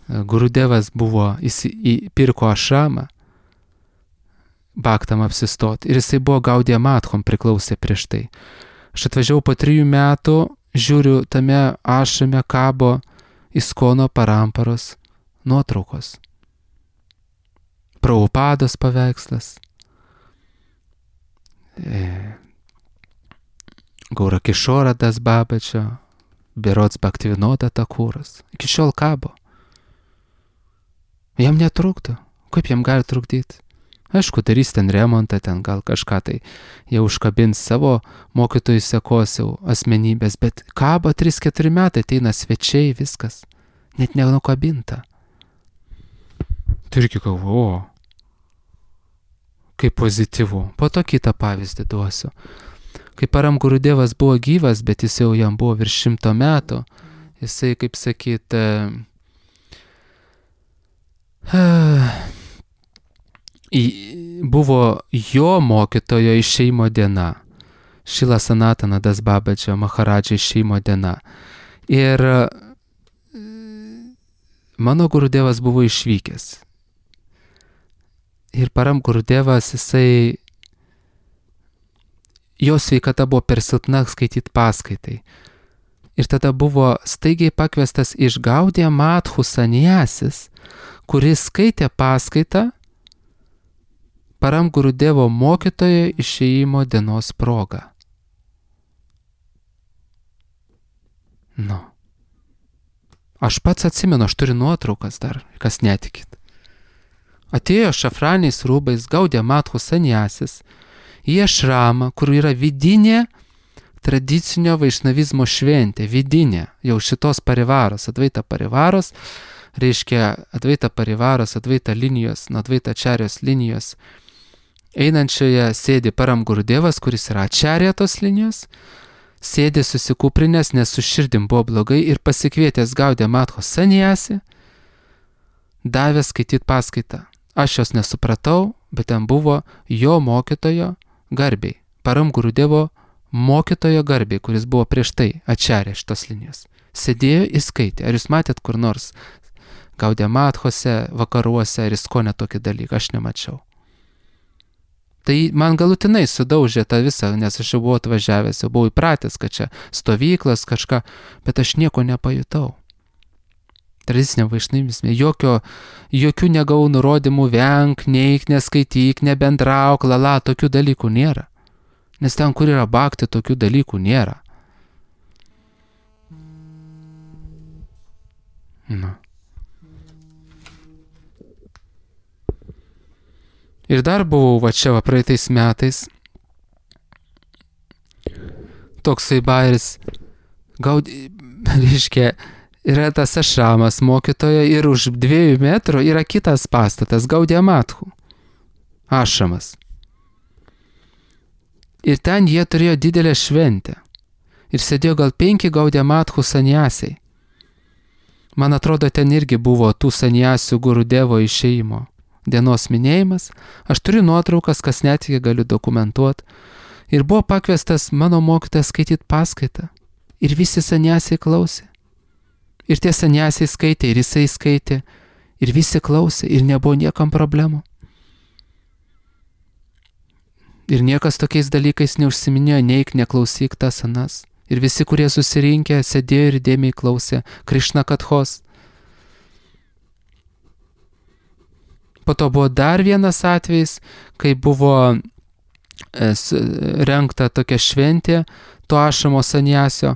Gurudevas buvo, jis įpirko ašramą, Bhaktam apsistoti, ir jisai buvo Gaudiya Madhom priklausė prieš tai. Aš atvažiavau po trijų metų, žiūriu, tame ašrame kabo Iskono Paramparos nuotraukos. Prabhupados paveikslas, e, Gaura Kishora Das Babačio, berods Bhaktivinoda Thakuras. Iki šiol kabo. Jam netrukdo. Kaip jam gali trukdyti? Aišku, darys ten remontą, ten gal kažką tai jau užkabins savo mokytojų sekosiau asmenybės, bet kabo trys keturi metai, ateina svečiai, viskas. Net nenukabinta. Tai irgi galvoju, kaip pozityvu. Po to kitą pavyzdį duosiu. Kai Param Gurudevas buvo gyvas, bet jis jau jam buvo virš šimto metų, jisai, kaip sakyt, buvo jo mokytojo išėjimo diena. Šila Sanatana Das Babačio Maharadžio išėjimo diena. Ir mano Gurudevas buvo išvykęs. Ir Param Gurudevas, jisai, jo sveikata buvo per silpna skaityti paskaitai. Ir tada buvo staigiai pakviestas iš Gaudiya Madhų sanjasis, kuris skaitė paskaitą Param Gurudevo mokytojo išėjimo dienos proga. Nu. Aš pats atsimenu, aš turiu nuotraukas dar, kas netikit. Atėjo šafraniais rūbais Gaudiya Madhų sanjasis į ašramą, kur yra vidinė tradicinio vaišnavizmo šventė, vidinė, jau šitos parivaros, Advaita parivaros, reiškia Advaita parivaros, Advaita linijos, nuo Advaita ačarijos linijos. Einančioje sėdi Param Gurudevas, kuris yra ačarija tos linijos, sėdi susikūprinės, nes su širdim buvo blogai, ir pasikvietęs Gaudiya Madhų sanjasį, davė skaityti paskaitą. Aš jos nesupratau, bet ten buvo jo mokytojo garbiai, Param Gurudevo mokytojo garbiai, kuris buvo prieš tai ačarė šitos linijos. Sėdėjo ir skaitė. Ar jūs matėt kur nors Gaudiya Madhose, vakaruose, ar Iskone tokį dalyką? Aš nemačiau. Tai man galutinai sudaužė tą visą, nes aš jau buvau atvažiavęs, jau buvau įpratęs, kad čia stovyklas kažką, bet aš nieko nepajutau. Tradicinė vaišnavizme, jokio, jokių negavau nurodymų, venk, neik, neskaityk, nebendrauk, lala, tokių dalykų nėra. Nes ten, kur yra bhakti, tokių dalykų nėra. Nu. Ir dar buvau va čia va praeitais metais, toksai bairis, Gaudi, reiškia, yra tas ašramas mokytojo ir už dviejų metrų yra kitas pastatas, Gaudiya Madhų ašramas. Ir ten jie turėjo didelę šventę. Ir sėdėjo gal penki Gaudiya Madhų sanjasiai. Man atrodo, ten irgi buvo tų sanjasių Gurudevo išėjimo dienos minėjimas. Aš turiu nuotraukas, kas netgi galiu dokumentuoti. Ir buvo pakviestas mano mokytojas skaityti paskaitą. Ir visi sanjasiai klausė. Ir tie sanjasiai skaitė, ir jisai skaitė. Ir visi klausė, ir nebuvo niekam problemų. Ir niekas tokiais dalykais neužsiminėjo, neik, neklausyk tas anas. Ir visi, kurie susirinkę, sėdėjo ir dėmiai klausė Krishna Kathos. Po to buvo dar vienas atvejis, kai buvo rengta tokia šventė, to ašamo saniasio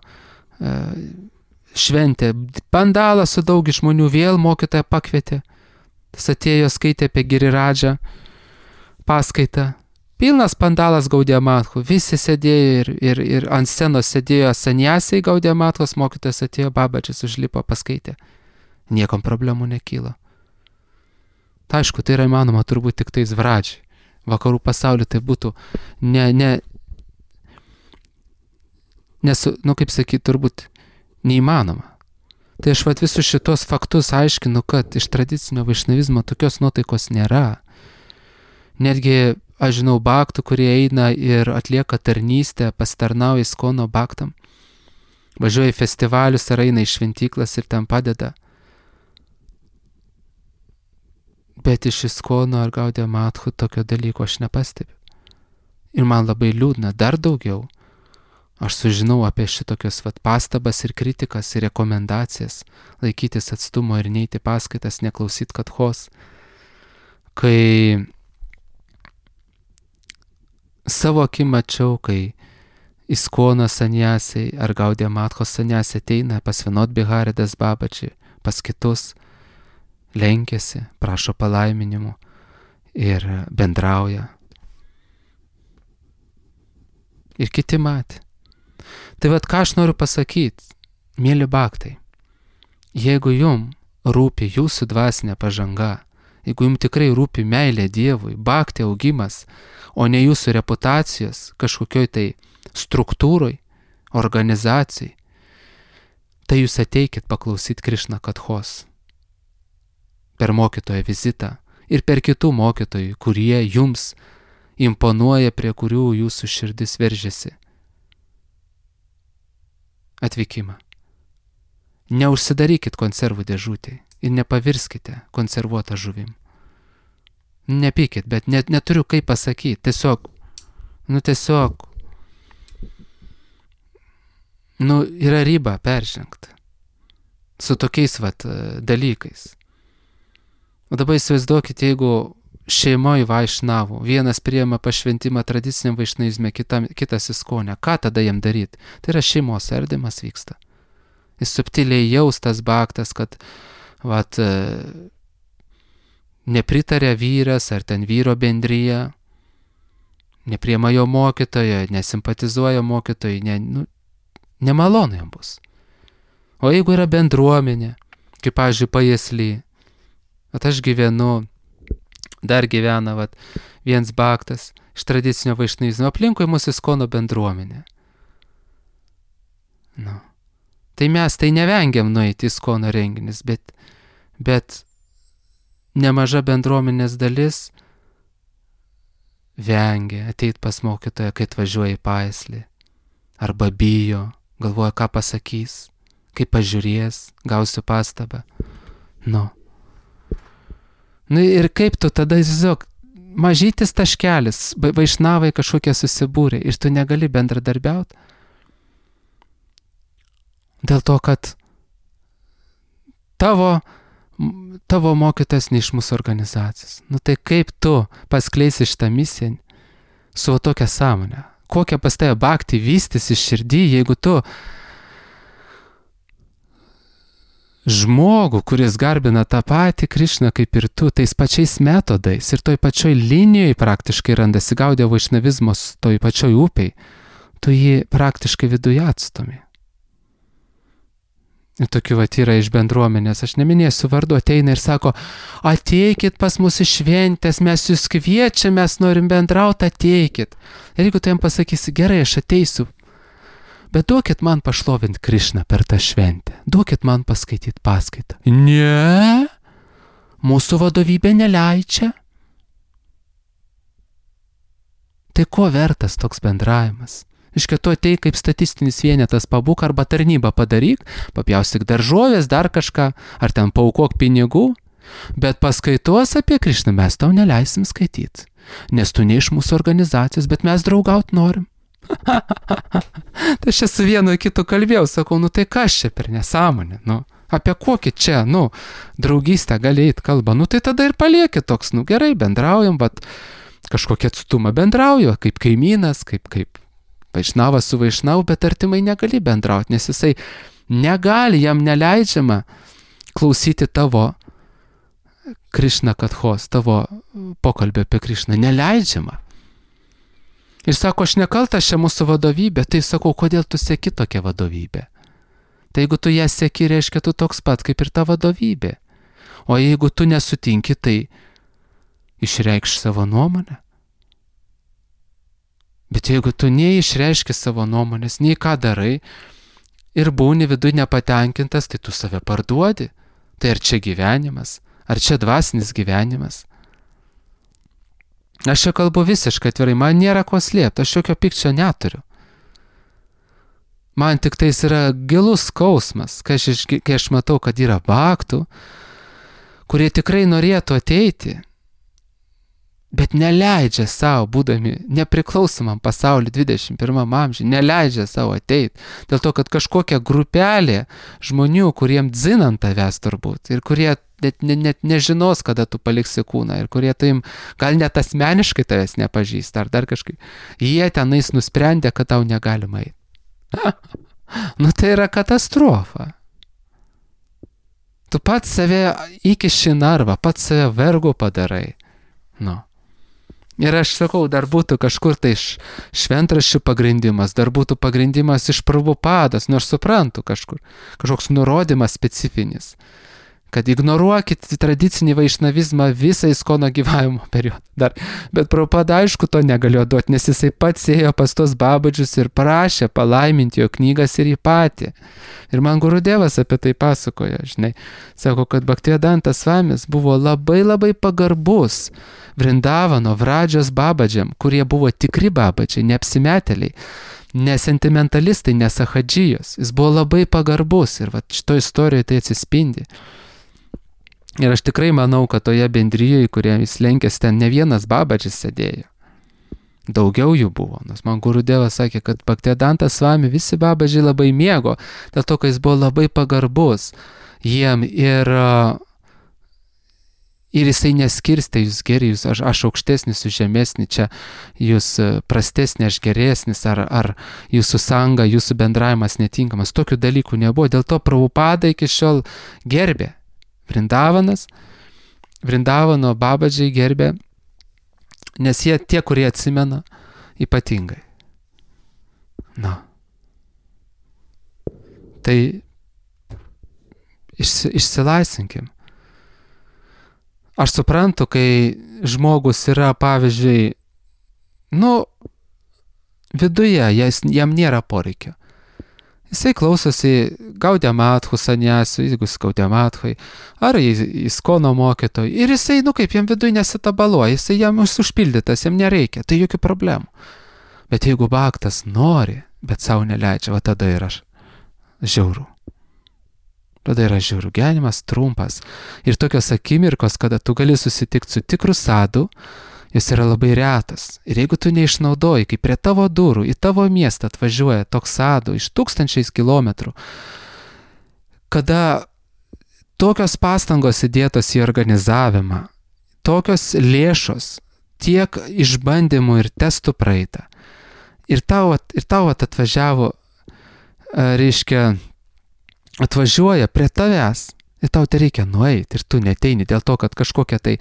šventė. Pandalą su daug žmonių vėl mokytoja pakvietė. Tas atėjo, skaitė apie Giriradžą paskaitą. Pilnas pandalas Gaudiya Mathu. Visi sėdėjo ir, ir, ir ant scenos sėdėjo saniasiai Gaudiya Mathos, mokytojas atėjo, Babačis užlipo, paskaitė. Niekam problemų nekyla. Ta, aišku, tai yra įmanoma turbūt tik tais Vradžiai. Vakarų pasaulyje tai būtų ne, ne, nesu, nu kaip sakyti, turbūt neįmanoma. Tai aš vat visus šitos faktus aiškinu, kad iš tradicinio vaišnavizmo tokios nuotaikos nėra. Netgi, aš žinau, baktų, kurie eina ir atlieka tarnystę, pasitarnauja Iskono baktam, važiuoja į festivalius ar eina į šventyklas ir ten padeda. Bet iš Iskono ar Gaudiya Mathu tokio dalyko aš nepastebiu. Ir man labai liūdna, dar daugiau. Aš sužinau apie šitokios vat pastabas ir kritikas ir rekomendacijas, laikytis atstumo ir neiti paskaitas, neklausyt katchos. Kai savo akim mačiau, kai Iskono saniasiai ar Gaudiya Matho saniasiai ateina pas Vinod Bihari Das Babaji, pas kitus, lenkiasi, prašo palaiminimų ir bendrauja. Ir kiti matė. Tai vat ką aš noriu pasakyti, mėly baktai, jeigu jum rūpi jūsų dvasinė pažanga, jeigu jum tikrai rūpi meilė Dievui, baktai augimas, o ne jūsų reputacijos kažkokioj tai struktūroj, organizacijai, tai jūs ateikit paklausyt Krišna katchos per mokytojo vizitą ir per kitų mokytojų, kurie jums imponuoja, prie kurių jūsų širdis veržiasi. Atvykimą. Neužsidarykit konservų dėžutėj ir nepavirskite konservuotą žuvim. Nepykit, bet net neturiu kaip pasakyti. Tiesiog, nu tiesiog, nu yra riba peržengta su tokiais vat dalykais. O dabar įsivaizduokit, jeigu šeimoje vaišnavų, vienas priima pašventimą tradiciniam vaišnavizme, kitas Iskone, ką tada jam daryti? Tai yra šeimos ardymas vyksta. Jis subtiliai jaustas baktas, kad vat, nepritarė vyras ar ten vyro bendryje, nepriima jo mokytojo, nesimpatizuoja mokytojai, ne, nu, nemalonu jam bus. O jeigu yra bendruomenė, kaip, pavyzdžiui, Pajėsly, at aš gyvenu, dar gyvena vat, viens baktas iš tradicinio vaišnavizmo, aplinkui mūsų Iskono bendruomenė. Nu. Tai mes tai nevengiam nueiti į Iskono renginis, bet, bet nemaža bendruomenės dalis vengia ateit pas mokytoją, kai atvažiuoja į Pajėslį. Arba bijo, galvoja, ką pasakys, kaip pažiūrės, gausiu pastabą. Nu. Nu ir kaip tu tada, tiesiog, mažytis taškelis, vaišnavai kažkokie susibūrė ir tu negali bendradarbiauti. Dėl to, kad tavo, tavo mokytas ne iš mūsų organizacijos. Nu tai kaip tu paskleisi šitą misiją su tokia sąmonė? Kokia pas tave bhakti vystys iš širdį, jeigu tu žmogų, kuris garbina tą patį Krišną kaip ir tu, tais pačiais metodais ir toj pačioj linijoje praktiškai randasi Gaudiya vaišnavizmos toj pačioj upiai, tu jį praktiškai viduje atstumi. Ir tokių vat yra iš bendruomenės, aš neminėsiu vardu, ateina ir sako, ateikit pas mus į šventės, mes jūs kviečiam, mes norim bendrauti, ateikit. Ir jeigu tu jam pasakysi, gerai, aš ateisiu, bet duokit man pašlovint Krišną per tą šventę, duokit man paskaityti paskaitą. Ne, mūsų vadovybė neleidžia. Tai ko vertas toks bendravimas? Iškia, tu atei kaip statistinis vienetas, pabūk arba tarnybą padaryk, papjaustyk daržovės, dar kažką, ar ten paaukok pinigų, bet paskaitos apie Krišną mes tau neleisim skaityti, nes tu ne iš mūsų organizacijos, bet mes draugaut norim. Tai aš su vienu kitu kalbėjau, sakau, nu tai kas čia per nesąmonė, nu, apie kokį čia, nu, draugystę gali eit kalba, nu tai tada ir palieki toks, nu gerai, bendraujam, bet kažkokią atstumą bendrauju, kaip kaimynas, kaip, kaip vaišnavas su vaišnavu, bet artimai negali bendrauti, nes jisai negali, jam neleidžiama klausyti tavo Krišna kathos, tavo pokalbio apie Krišną, neleidžiama. Ir sako, aš nekaltas čia mūsų vadovybė, tai sakau, kodėl tu seki tokią vadovybę? Tai jeigu tu ją seki, reiškia, tu toks pat kaip ir ta vadovybė. O jeigu tu nesutinki, tai išreikš savo nuomonę. Bet jeigu tu neišreiški savo nuomonės, nei ką darai ir būni viduje nepatenkintas, tai tu save parduodi. Tai ar čia gyvenimas, ar čia dvasinis gyvenimas? Aš čia kalbu visiškai atvirai, man nėra ko slėpti, aš jokio pykčio neturiu. Man tik tais yra gilus skausmas, kai aš, kai aš matau, kad yra baktų, kurie tikrai norėtų ateiti, bet neleidžia savo, būdami nepriklausomam pasauliu dvidešimt pirmam amžiui, neleidžia savo ateiti. Dėl to, kad kažkokia grupelė žmonių, kuriem dzinant tavęs turbūt, ir kurie net, net, net nežinos, kada tu paliksi kūną, ir kurie taim gal net asmeniškai tavęs nepažįsta, ar dar kažkaip, jie tenais nusprendė, kad tau negalima eiti. Nu tai yra katastrofa. Tu pats save įkiši narvą, pats save vergu padarai. Nu. Ir aš sakau, dar būtų kažkur tai šventraščių pagrindimas, dar būtų pagrindimas iš Prabhupados, nors suprantu kažkur, kažkoks nurodymas specifinis, kad ignoruokit tradicinį vaišnavizmą visą Iskono gyvavimo periodą. Dar, bet Prabhupada aišku to negalėjo duoti, nes jisai pats ėjo pas tos babadžius ir prašė palaiminti jo knygas ir jį patį. Ir man Gurudevas apie tai pasakoja, žinai. Sako, kad Bhaktivedanta Svamis buvo labai labai pagarbus Vrindavano Vradžios babadžiam, kurie buvo tikri babadžiai, neapsimetėliai, ne sentimentalistai, ne sahadžijos. Jis buvo labai pagarbus ir va, šito istorijoje tai atsispindi. Ir aš tikrai manau, kad toje bendrijoje, kurie jis lenkėsi, ten ne vienas babadžis sėdėjo. Daugiau jų buvo, nes man Gurudevas sakė, kad Bhaktivedanta Swami visi babadžiai labai mėgo, dėl to, kad jis buvo labai pagarbus jiem ir, ir jisai neskirstė jūs geri, jūs, aš, aš aukštesnis, jūs žemesnis, čia jūs prastesnis, aš geresnis, ar, ar jūsų sanga, jūsų bendravimas netinkamas. Tokių dalykų nebuvo, dėl to Prabhupada iki šiol gerbė. Vrindavanas, Vrindavano babadžiai gerbė, nes jie tie, kurie atsimena, ypatingai. Na. Tai išsi, išsilaisvinkim. Aš suprantu, kai žmogus yra, pavyzdžiui, nu, viduje, jas, jam nėra poreikio. Jisai klausosi Gaudiamathų saniasių, jeigu jis Gaudiamathai, ar Iskono mokytojų, ir jisai, nu kaip, jam viduje nesitabaluoja, jisai jam užpildytas, jam nereikia, tai jokių problemų. Bet jeigu baktas nori, bet savo neleidžia, va tada yra žiauru. Tada yra žiauru, gyvenimas trumpas. Ir tokios akimirkos, kada tu gali susitikti su tikru sadu, jis yra labai retas. Ir jeigu tu neišnaudoji, kai prie tavo durų, į tavo miestą atvažiuoja toks sadu iš tūkstančiais kilometrų, kada tokios pastangos įdėtos į organizavimą, tokios lėšos, tiek išbandymų ir testų praeita, ir tau, ir tau atvažiavo, reiškia, atvažiuoja prie tavęs, ir tau tai reikia nueiti, ir tu neteini dėl to, kad kažkokia tai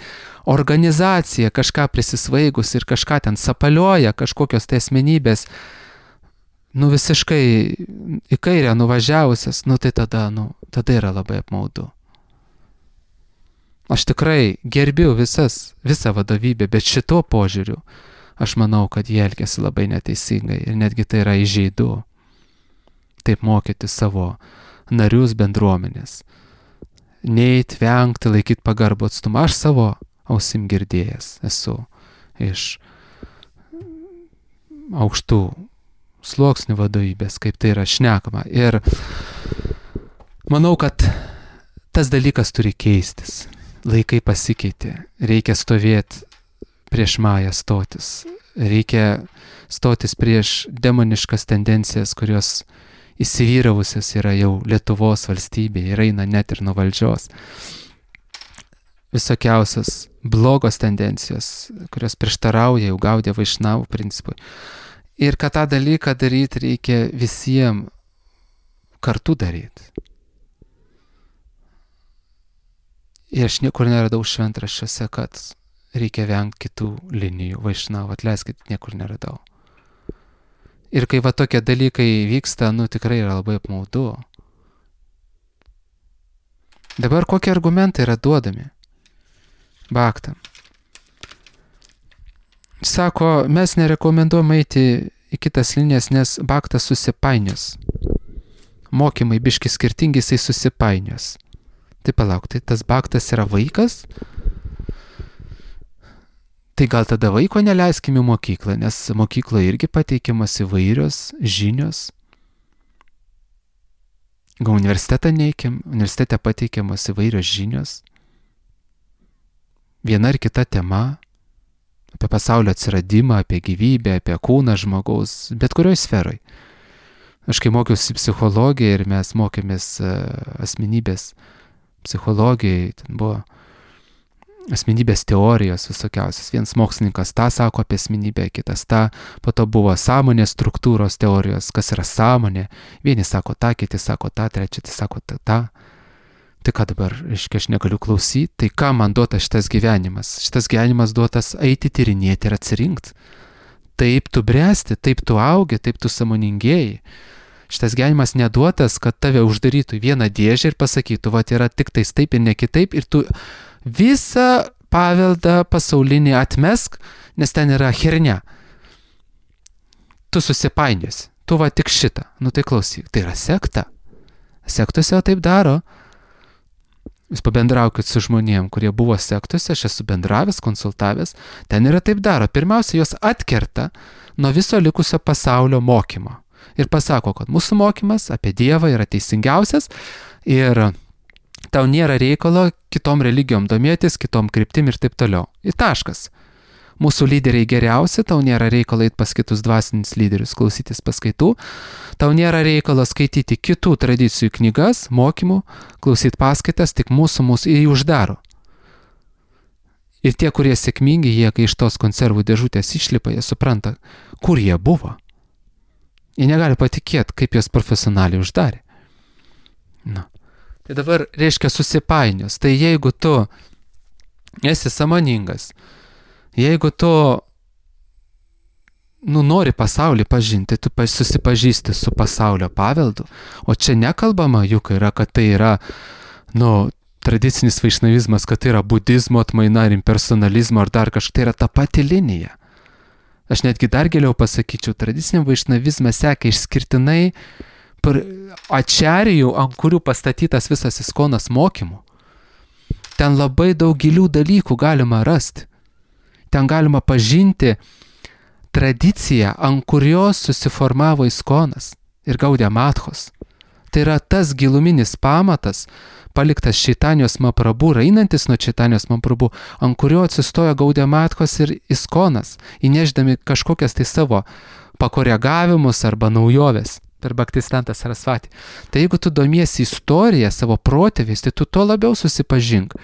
organizacija kažką prisisvaigus ir kažką ten sapalioja, kažkokios tai asmenybės, nu visiškai į kairę nuvažiavusias, nu tai tada, nu, tada yra labai apmaudu. Aš tikrai gerbiu visas, visą vadovybę, bet šito požiūriu aš manau, kad jie elgiasi labai neteisingai ir netgi tai yra įžeidu. Taip mokyti savo narius bendruomenės. Neit, vengti, laikyti pagarbų atstumą. Aš savo ausim girdėjęs esu iš aukštų sluoksnių vadovybės, kaip tai yra šnekama. Ir manau, kad tas dalykas turi keistis. Laikai pasikeitė. Reikia stovėti prieš Mają stotis. Reikia stotis prieš demoniškas tendencijas, kurios įsivyravusios yra jau Lietuvos valstybėje ir eina net ir nuo valdžios. visokiausios blogos tendencijos, kurios prieštarauja jau Gaudiya Vaišnavų principui. Ir kad tą dalyką daryti reikia visiems kartu daryti. Ir aš niekur neradau šventraščiuose, kad reikia vengti kitų linijų Vaišnavų, atleiskit, niekur neradau. Ir kai va tokie dalykai vyksta, nu tikrai yra labai apmaudu. Dabar kokie argumentai yra duodami bhaktam? Sako, mes nerekomenduojam eiti į kitas linijas, nes bhaktas susipainios. Mokymai biški skirtingi, jisai susipainios. Tai palauk, tai tas bhaktas yra vaikas? Tai gal tada vaiko neleiskim į mokyklą, nes mokykloje irgi pateikiamas įvairios žinios. Gal universitetą neikim, universitete pateikiamas įvairios žinios. Viena ar kita tema apie pasaulio atsiradimą, apie gyvybę, apie kūną žmogaus, bet kurioj sferoj. Aš kai mokiausi psichologiją ir mes mokėmės asmenybės psichologijai, ten buvo asmenybės teorijos visokiausias. Vienas mokslininkas tą sako apie asmenybę, kitas tą, po to buvo sąmonės struktūros teorijos, kas yra sąmonė. Vieni sako tą, kiti sako tą, trečiati sako tą. tą. Tai ką dabar, reiškia, aš negaliu klausyti, tai ką man duotas šitas gyvenimas? Šitas gyvenimas duotas eiti tyrinėti ir atsirinkti. Taip tu bręsti, taip tu augi, taip tu sąmoningėjai. Šitas gyvenimas neduotas, kad tave uždarytų į vieną dėžę ir pasakytų, va, yra tik tais taip ir ne kitaip, ir tu visą paveldą pasaulinį atmesk, nes ten yra hernia. Tu susipainiesi, tu va tik šitą. Nu tai klausyk, tai yra sekta. Sektose taip daro. Jūs pabendraukit su žmonėm, kurie buvo sektose, aš esu bendravęs, konsultavęs, ten yra taip daro. Pirmiausia, jos atkerta nuo viso likusio pasaulio mokymo. Ir pasako, kad mūsų mokymas apie Dievą yra teisingiausias ir tau nėra reikalo kitom religijom domėtis, kitom kryptim ir taip toliau. Ir taškas. Mūsų lyderiai geriausi, tau nėra reikalo eiti pas kitus dvasinius lyderius, klausytis paskaitų, tau nėra reikalo skaityti kitų tradicijų knygas, mokymų, klausyti paskaitas, tik mūsų mūsų jį uždaro. Ir tie, kurie sėkmingi, jie, kai iš tos konservų dėžutės išlipa, jie supranta, kur jie buvo. Jie negali patikėti, kaip jos profesionaliai uždarė. Na. Tai dabar reiškia susipainios. Tai jeigu tu esi sąmoningas, jeigu tu nu, nori pasaulį pažinti, tu susipažįsti su pasaulio paveldu, o čia nekalbama juk yra, kad tai yra nu, tradicinis vaišnavizmas, kad tai yra budizmo atmaina ar impersonalizmo ar dar kažkai, tai yra ta pati linija. Aš netgi dar giliau pasakyčiau, tradiciniam vaišnavizmą seka išskirtinai ačarijų, ant kurių pastatytas visas iskonas mokymų. Ten labai daug gilių dalykų galima rasti. Ten galima pažinti tradiciją, ant kurios susiformavo iskonas ir Gaudiya Madhos. Tai yra tas giluminis pamatas, paliktas Čaitanijos Mahaprabhu, einantis nuo Čaitanijos Mahaprabhu, ant kurio atsistojo Gaudiya Madhos ir iskonas, įnešdami kažkokias tai savo pakoregavimus arba naujoves per Bhaktisiddhanta Sarasvatį. Tai jeigu tu domiesi istoriją, savo protėviais, tai tu to labiau susipažink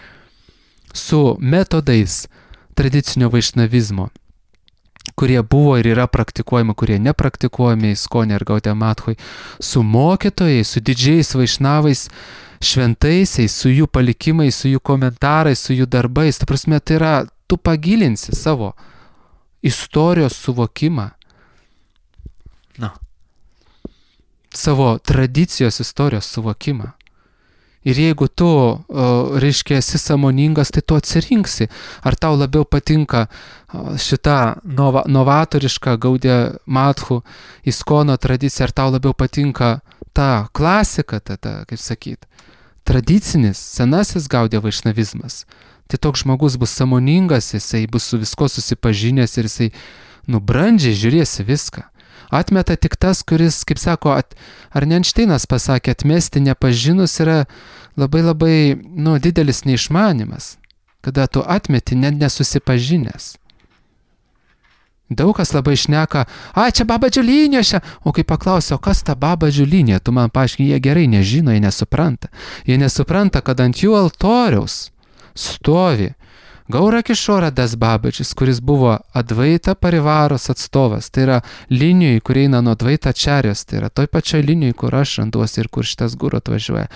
su metodais tradicinio vaišnavizmo, kurie buvo ir yra praktikuojami, kurie nepraktikuojami Iskone ir Gaudiya Madhoj, su mokytojais, su didžiais vaišnavais, šventaisiais, su jų palikimais, su jų komentarais, su jų darbais. Ta prasme, tai yra, tu pagilinsi savo istorijos suvokimą. Na. Savo tradicijos istorijos suvokimą. Ir jeigu tu, reiškia, esi sąmoningas, tai tu atsirinksi, ar tau labiau patinka šita nova, novatoriška Gaudiya Madhų iskono tradicija, ar tau labiau patinka ta klasika, ta, ta kaip sakyt, tradicinis, senasis Gaudiya vaišnavizmas. Tai toks žmogus bus sąmoningas, jisai bus su visko susipažinęs ir jisai, nu, brandžiai žiūrėsi viską. Atmeta tik tas, kuris, kaip sako, at, ar ne Einšteinas pasakė, atmesti nepažinus yra labai labai, nu, didelis neišmanimas, kada tu atmeti net nesusipažinęs. Daug kas labai šneka, a, čia Baba Džiulinė šia, o kai paklausia, o kas ta Baba Džiulinė, tu man paaiškini, jie gerai nežino, jie nesupranta. Jie nesupranta, kad ant jų altoriaus stovi Gaura Kishora Das Babaģis, kuris buvo Advaita Parivaros atstovas, tai yra linijai, kur eina nuo Advaita Čarijos, tai yra toj pačioj linijai, kur aš randuosi ir kur šitas guru atvažiuoja.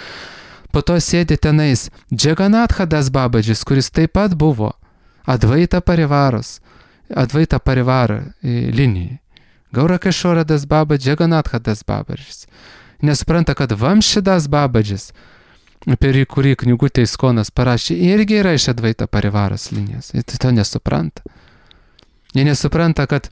Po to sėdi tenais Džeganatha Das Babaģis, kuris taip pat buvo Advaita Parivaros, Advaita Parivara linijai. Gaura Kishora Das Babaģis, Džeganatha Das Babaģis. Nesupranta, kad Vamši Das Babaģis, apie kurį knygutė Iskonas parašė, irgi yra iš Advaita Parivaros linijos. Jie to nesupranta. Jie nesupranta, kad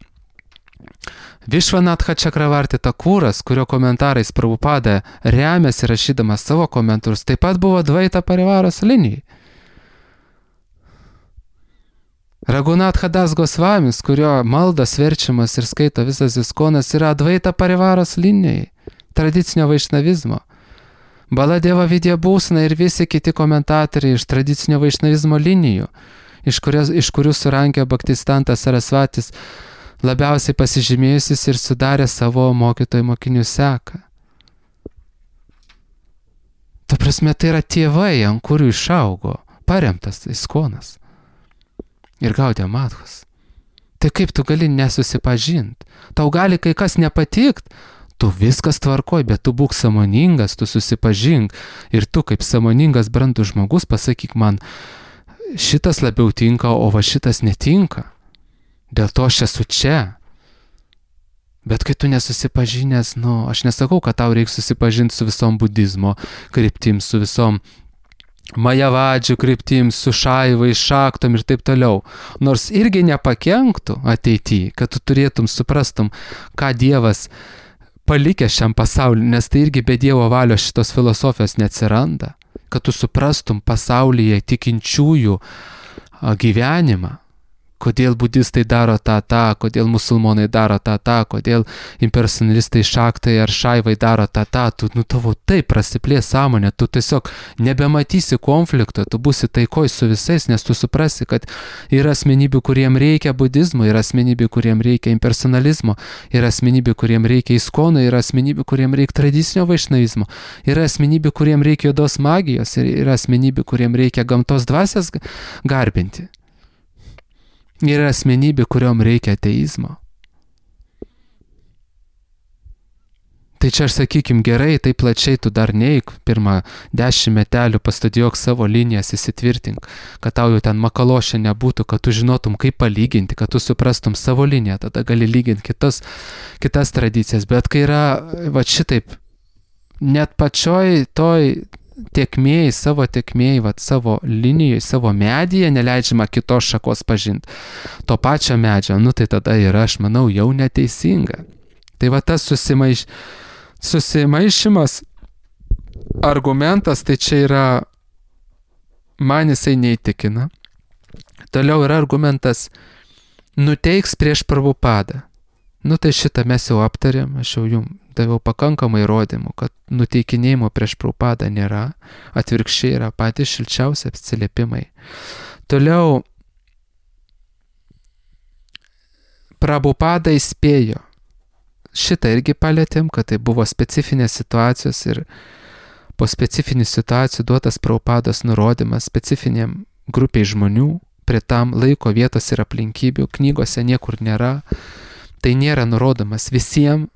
Višvanatha Čakravarti Takūras, kurio komentarais Prabhupada remiasi rašydamas savo komentarus, taip pat buvo Advaita Parivaros linijai. Raghunatha Das Gosvamis, kurio maldas verčiamas ir skaito visas Iskonas, yra Advaita Parivaros linijai, tradicinio vaišnavizmo. Baladeva Vidyabhusana ir visi kiti komentatoriai iš tradicinio vaišnavizmo linijų, iš, kurios, iš kurių surankė Bhaktistantas Sarasvatis, labiausiai pasižymėjusis ir sudarė savo mokytojų mokinių seką. Ta prasme, tai yra tėvai, ant kurių išaugo, paremtas Iskonas ir Gaudiya Madhas. Tai kaip tu gali nesusipažinti? Tau gali kai kas nepatikt, tu viskas tvarkoj, bet tu būk sąmoningas, tu susipažink ir tu kaip sąmoningas brandus žmogus pasakyk man, šitas labiau tinka, o va šitas netinka. Dėl to aš esu čia. Bet kai tu nesusipažinęs, nu, aš nesakau, kad tau reikia susipažinti su visom budizmo kryptim, su visom Majavadžių kryptim, su šaivai, šaktom ir taip toliau. Nors irgi nepakenktų ateityje, kad tu turėtum, suprastum, ką Dievas palikęs šiam pasauliu, nes tai irgi be Dievo valios šitos filosofijos neatsiranda, kad tu suprastum pasaulyje tikinčiųjų gyvenimą, kodėl budistai daro tą, tą, kodėl musulmonai daro tą, tą, kodėl impersonalistai šaktai ar šaivai daro tą, tą, tu, nu, tavo taip prasiplės sąmonė, tu tiesiog nebematysi konflikto, tu būsi taikoj su visais, nes tu suprasi, kad yra asmenybių, kuriem reikia budizmo, yra asmenybių, kuriem reikia impersonalizmo, yra asmenybių, kuriem reikia Iskono, yra asmenybių, kuriem reikia tradicinio vaišnavizmo, yra asmenybių, kuriem reikia juodos magijos, ir yra asmenybių, kuriem reikia gamtos dvasias garbinti. Yra asmenybė, kuriom reikia ateizmo. Tai čia aš sakykim gerai, tai plačiai tu dar neik, pirmą dešimt metelių pastudijuok savo linijas, įsitvirtink, kad tau jau ten makalošė nebūtų, kad tu žinotum, kaip palyginti, kad tu suprastum savo liniją, tada gali lyginti kitas, kitas tradicijas. Bet kai yra, va šitaip, net pačioj toj tiekmėjai, savo tiekmėjai, vat, savo linijoje, savo medyje neleidžiama kitos šakos pažinti. To pačio medžio, nu tai tada yra, aš manau, jau neteisinga. Tai va tas susimaiš, susimaišymas argumentas, tai čia yra, man jisai neįtikina. Toliau yra argumentas, nuteiks prieš Prabhupadą. Nu tai šitą mes jau aptarėm, aš jau jums daviau pakankamai įrodymų, kad nuteikinėjimo prieš Prabhupadą nėra, atvirkščiai yra patys šilčiausi atsiliepimai. Toliau Prabhupada įspėjo. Šitą irgi palėtėm, kad tai buvo specifinės situacijos ir po specifinių situacijų duotas Prabhupados nurodymas specifiniam grupiai žmonių, prie tam laiko, vietos ir aplinkybių, knygose niekur nėra. Tai nėra nurodomas visiems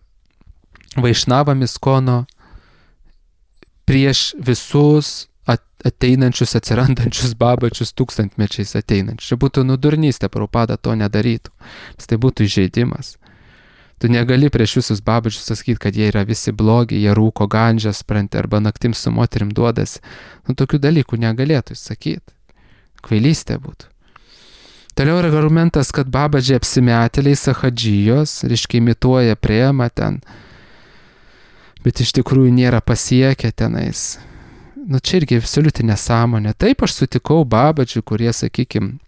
vaišnavam Iskono prieš visus ateinančius, atsirandančius babačius tūkstantmečiais ateinančius. Čia būtų nudurnystė, Prabhupada to nedarytų, nes tai būtų įžeidimas. Tu negali prieš visus babačius sakyti, kad jie yra visi blogi, jie rūko gandžią, spranti, arba naktim su moterim duodas. Nu, tokių dalykų negalėtų sakyti. Kvailystė būtų. Toliau yra argumentas, kad babažiai apsimetėliai sahadžijos, reiškia imituoja priema ten, bet iš tikrųjų nėra pasiekę tenais. Nu čia irgi absoliuti nesąmonė. Taip aš sutikau babažių, kurie, sakykim,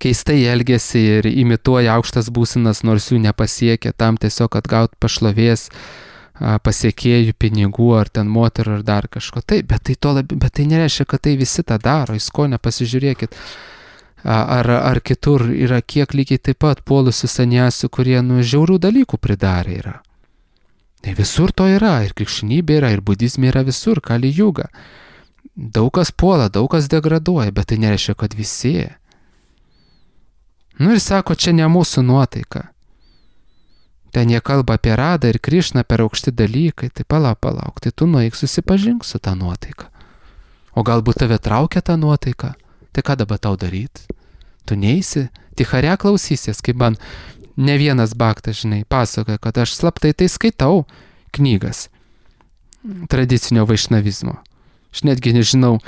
keistai elgėsi ir imituoja aukštas būsenas, nors jų nepasiekia, tam tiesiog atgauti pašlovės, pasiekėjų, pinigų ar ten moterų ar dar kažko. Taip, bet tai, to labi, bet tai nereiškia, kad tai visi tą daro. Iskone pasižiūrėkit. Ar, ar kitur yra kiek lygiai taip pat puolusių saniasių, kurie nu žiaurių dalykų pridarė yra. Tai visur to yra, ir krikščionybė yra, ir budizmė yra visur, Kali Juga. Daug kas puola, daug kas degraduoja, bet tai nereiškia, kad visi. Nu ir sako, čia ne mūsų nuotaika. Ten jie kalba apie Radą ir Krišną per aukšti dalykai, tai palauk, palauk, tai tu nueik susipažink su tą nuotaiką. O galbūt tave traukia tą nuotaiką, tai ką dabar tau daryti? Tu neisi, tichare klausysies, kaip man ne vienas baktas, žinai, pasakoja, kad aš slaptai tai skaitau knygas tradicinio vaišnavizmo. Aš netgi nežinau,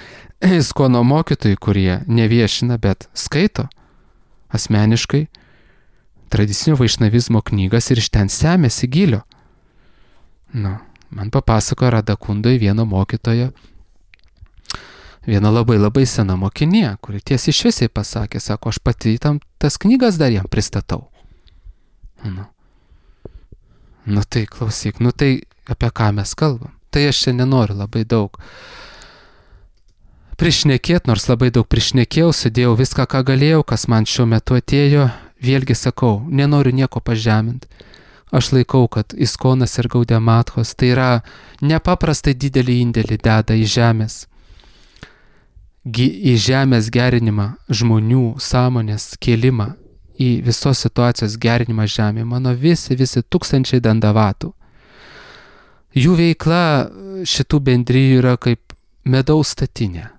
iskono mokytojai, kurie neviešina, bet skaito asmeniškai tradicinio vaišnavizmo knygas ir iš ten semėsi gilio. Nu, man papasakojo Radakundoj vieno mokytojo, viena labai labai sena mokinė, kuri tiesiai šviesiai pasakė, sako, aš pati tam tas knygas dar jam pristatau. Nu, nu tai klausyk, nu tai apie ką mes kalbam. Tai aš čia nenoriu labai daug prišnekėt, nors labai daug prišnekėjau, sudėjau viską, ką galėjau, kas man šiuo metu atėjo. Vėlgi sakau, nenoriu nieko pažeminti. Aš laikau, kad Iskonas ir Gaudematkos tai yra nepaprastai didelį indėlį deda į žemės, į žemės gerinimą, žmonių sąmonės kėlimą, į visos situacijos gerinimą žemėje. Mano visi, visi tūkstančiai dandavatų. Jų veikla šitų bendrijų yra kaip medaus statinė.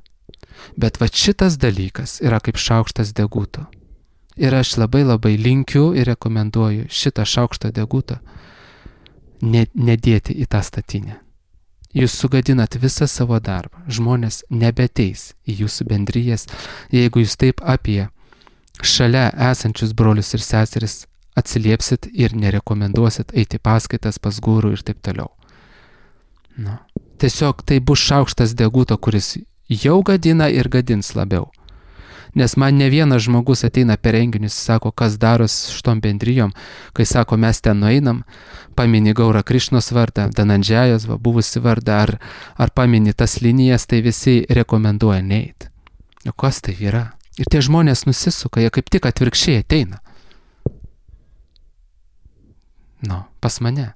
Bet va šitas dalykas yra kaip šaukštas deguto. Ir aš labai labai linkiu ir rekomenduoju šitą šaukštą degutą nedėti į tą statinę. Jūs sugadinat visą savo darbą. Žmonės nebeteis į jūsų bendrijas, jeigu jūs taip apie šalia esančius brolius ir seseris atsiliepsit ir nerekomenduosit eiti paskaitas pas gurų ir taip toliau. Nu. Tiesiog tai bus šaukštas deguto, kuris jau gadina ir gadins labiau. Nes man ne vienas žmogus ateina per renginius, sako, kas daros šitom bendrijom, kai sako, mes ten nueinam, pamini Gaura Krišnos vardą, Danandžiajos, va, buvusi vardą, ar, ar pamini tas linijas, tai visi rekomenduoja neit. O kas tai yra? Ir tie žmonės nusisuka, jie kaip tik atvirkščiai ateina. Nu, pas mane.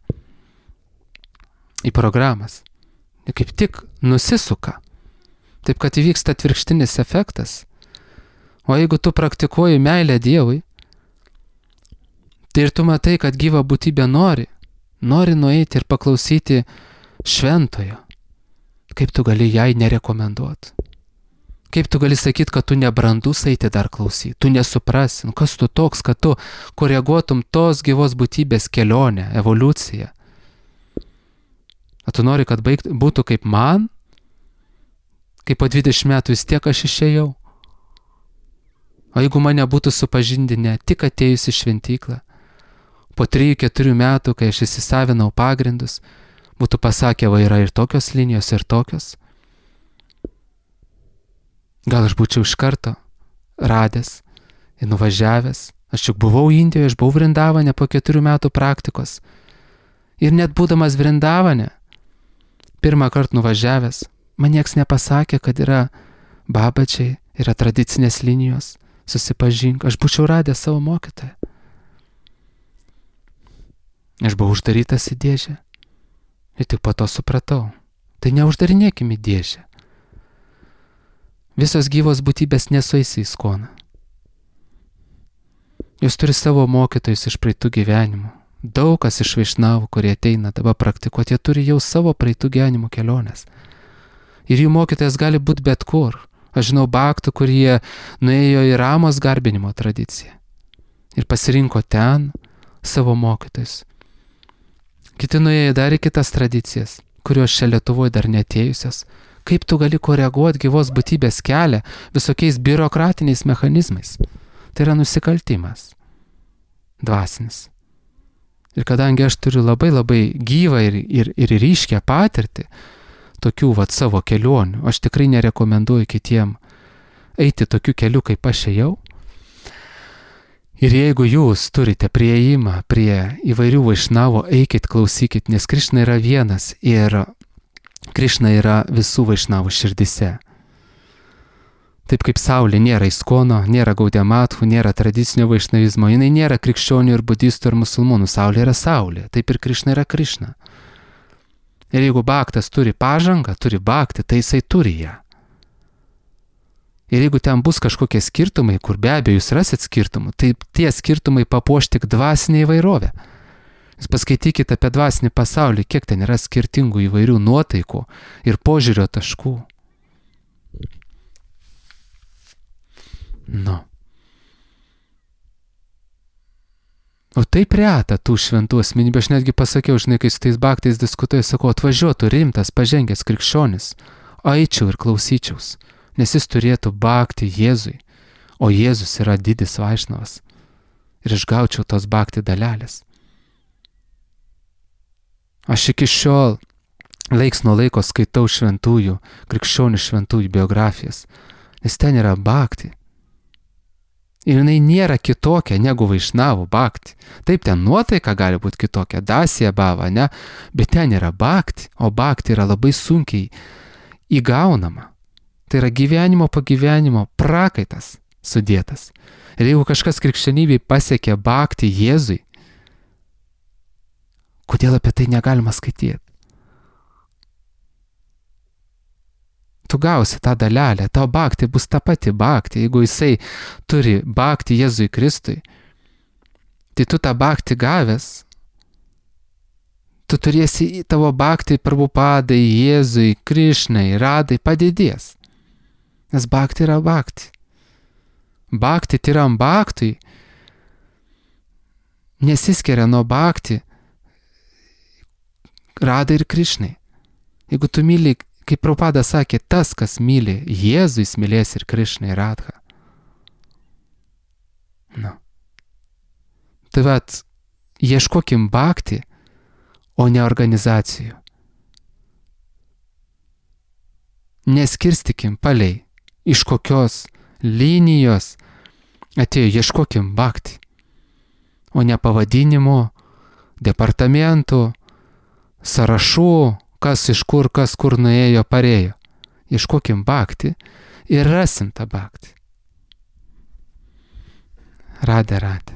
Į programas. Jie kaip tik nusisuka. Taip, kad įvyksta atvirkštinis efektas. O jeigu tu praktikuoji meilę Dievui, tai ir tu matai, kad gyva būtybė nori, nori nueiti ir paklausyti šventojo, kaip tu gali jai nerekomenduoti? Kaip tu gali sakyti, kad tu nebrandus eiti dar klausyti, tu nesuprasi, nu kas tu toks, kad tu koreguotum tos gyvos būtybės kelionę, evoliuciją? O tu nori, kad baigt, būtų kaip man, kaip po dvidešimt metų vis tiek aš išėjau? O jeigu mane būtų supažindinę tik atėjus į šventyklą, po trijų keturių metų, kai aš įsisavinau pagrindus, būtų pasakę, va yra ir tokios linijos, ir tokios. Gal aš būčiau iš karto radęs ir nuvažiavęs. Aš juk buvau Indijoje, aš buvau Vrindavane po keturių metų praktikos. Ir net būdamas Vrindavane, pirmą kartą nuvažiavęs, man nieks nepasakė, kad yra babačiai, yra tradicinės linijos. Susipažink, aš būčiau radęs savo mokytoją. Aš buvau uždarytas į dėžę. Ir tik po to supratau. Tai neuždarinėkim į dėžę. Visos gyvos būtybės nesueis į Iskoną. Jos turi savo mokytojus iš praeitų gyvenimų. Daug kas iš vaišnavų, kurie ateina dabar praktikuoti, jie turi jau savo praeitų gyvenimų keliones. Ir jų mokytojas gali būti bet kur. Aš žinau baktų, kurie nuėjo į Ramos garbinimo tradiciją ir pasirinko ten savo mokytojus. Kiti nuėjo dar į kitas tradicijas, kurios čia Lietuvoje dar neatėjusios. Kaip tu gali koreguoti gyvos būtybės kelią visokiais biurokratiniais mechanizmais? Tai yra nusikaltimas. Dvasinis. Ir kadangi aš turiu labai labai gyvą ir, ir, ir ryškę patirtį, tokių vat savo kelionių, aš tikrai nerekomenduoju kitiem eiti tokiu keliu, kaip aš ėjau. Ir jeigu jūs turite prieimą prie įvairių vaišnavų, eikit, klausykit, nes Krišna yra vienas ir Krišna yra visų vaišnavų širdise. Taip kaip saulė nėra Iskono, nėra Gaudematkų, nėra tradicinio vaišnavizmo, jinai nėra krikščionių ir budistų ir musulmonų, saulė yra saulė, taip ir Krišna yra Krišna. Ir jeigu baktas turi pažangą, turi baktį, tai jisai turi ją. Ir jeigu ten bus kažkokie skirtumai, kur be abejo jūs rasit skirtumų, tai tie skirtumai papuoš tik dvasinę įvairovę. Jūs paskaitykite apie dvasinį pasaulį, kiek ten yra skirtingų įvairių nuotaikų ir požiūrio taškų. Nu. O taip reta tų šventų asmenybių. Aš netgi pasakiau, žinai, kai su tais baktais diskutuoju, sakau, atvažiuotų rimtas, pažengęs krikščionis, eičiau ir klausyčiaus, nes jis turėtų bakti Jėzui, o Jėzus yra didis vaišnavas. Ir aš gaučiau tos bakti dalelės. Aš iki šiol laiks nuo laiko skaitau šventųjų, krikščionių šventųjų biografijas, nes ten yra bakti. Ir jinai nėra kitokia negu vaišnavų bakti. Taip, ten nuotaika gali būti kitokia, dasija bava, ne? Bet ten yra bakti, o bakti yra labai sunkiai įgaunama. Tai yra gyvenimo pagyvenimo prakaitas sudėtas. Ir jeigu kažkas krikščionybėje pasiekė bakti Jėzui, kodėl apie tai negalima skaityti? Tu gausi tą dalelę, tau bakti bus ta pati bakti. Jeigu jisai turi bakti Jėzui Kristui, tai tu tą bakti gavęs, tu turėsi tavo bakti Prabhupadai, Jėzui, Krišnai, Radai padidės. Nes bakti yra bakti. Bakti tyram baktui nesiskiria nuo bakti Radai ir Krišnai. Jeigu tu myli, kaip Prabhupada sakė, tas, kas myli Jėzų, jis mylės ir Krišną ir Radhą. Nu. Tai vat, ieškokim bakti, o ne organizacijų. Neskirstikim palei, iš kokios linijos atėjo, ieškokim bakti, o ne pavadinimų, departamentų, sąrašų, kas iš kur, kas kur nuėjo, parėjo. Ieškokim bakti ir rasim tą bakti. Radė, radė.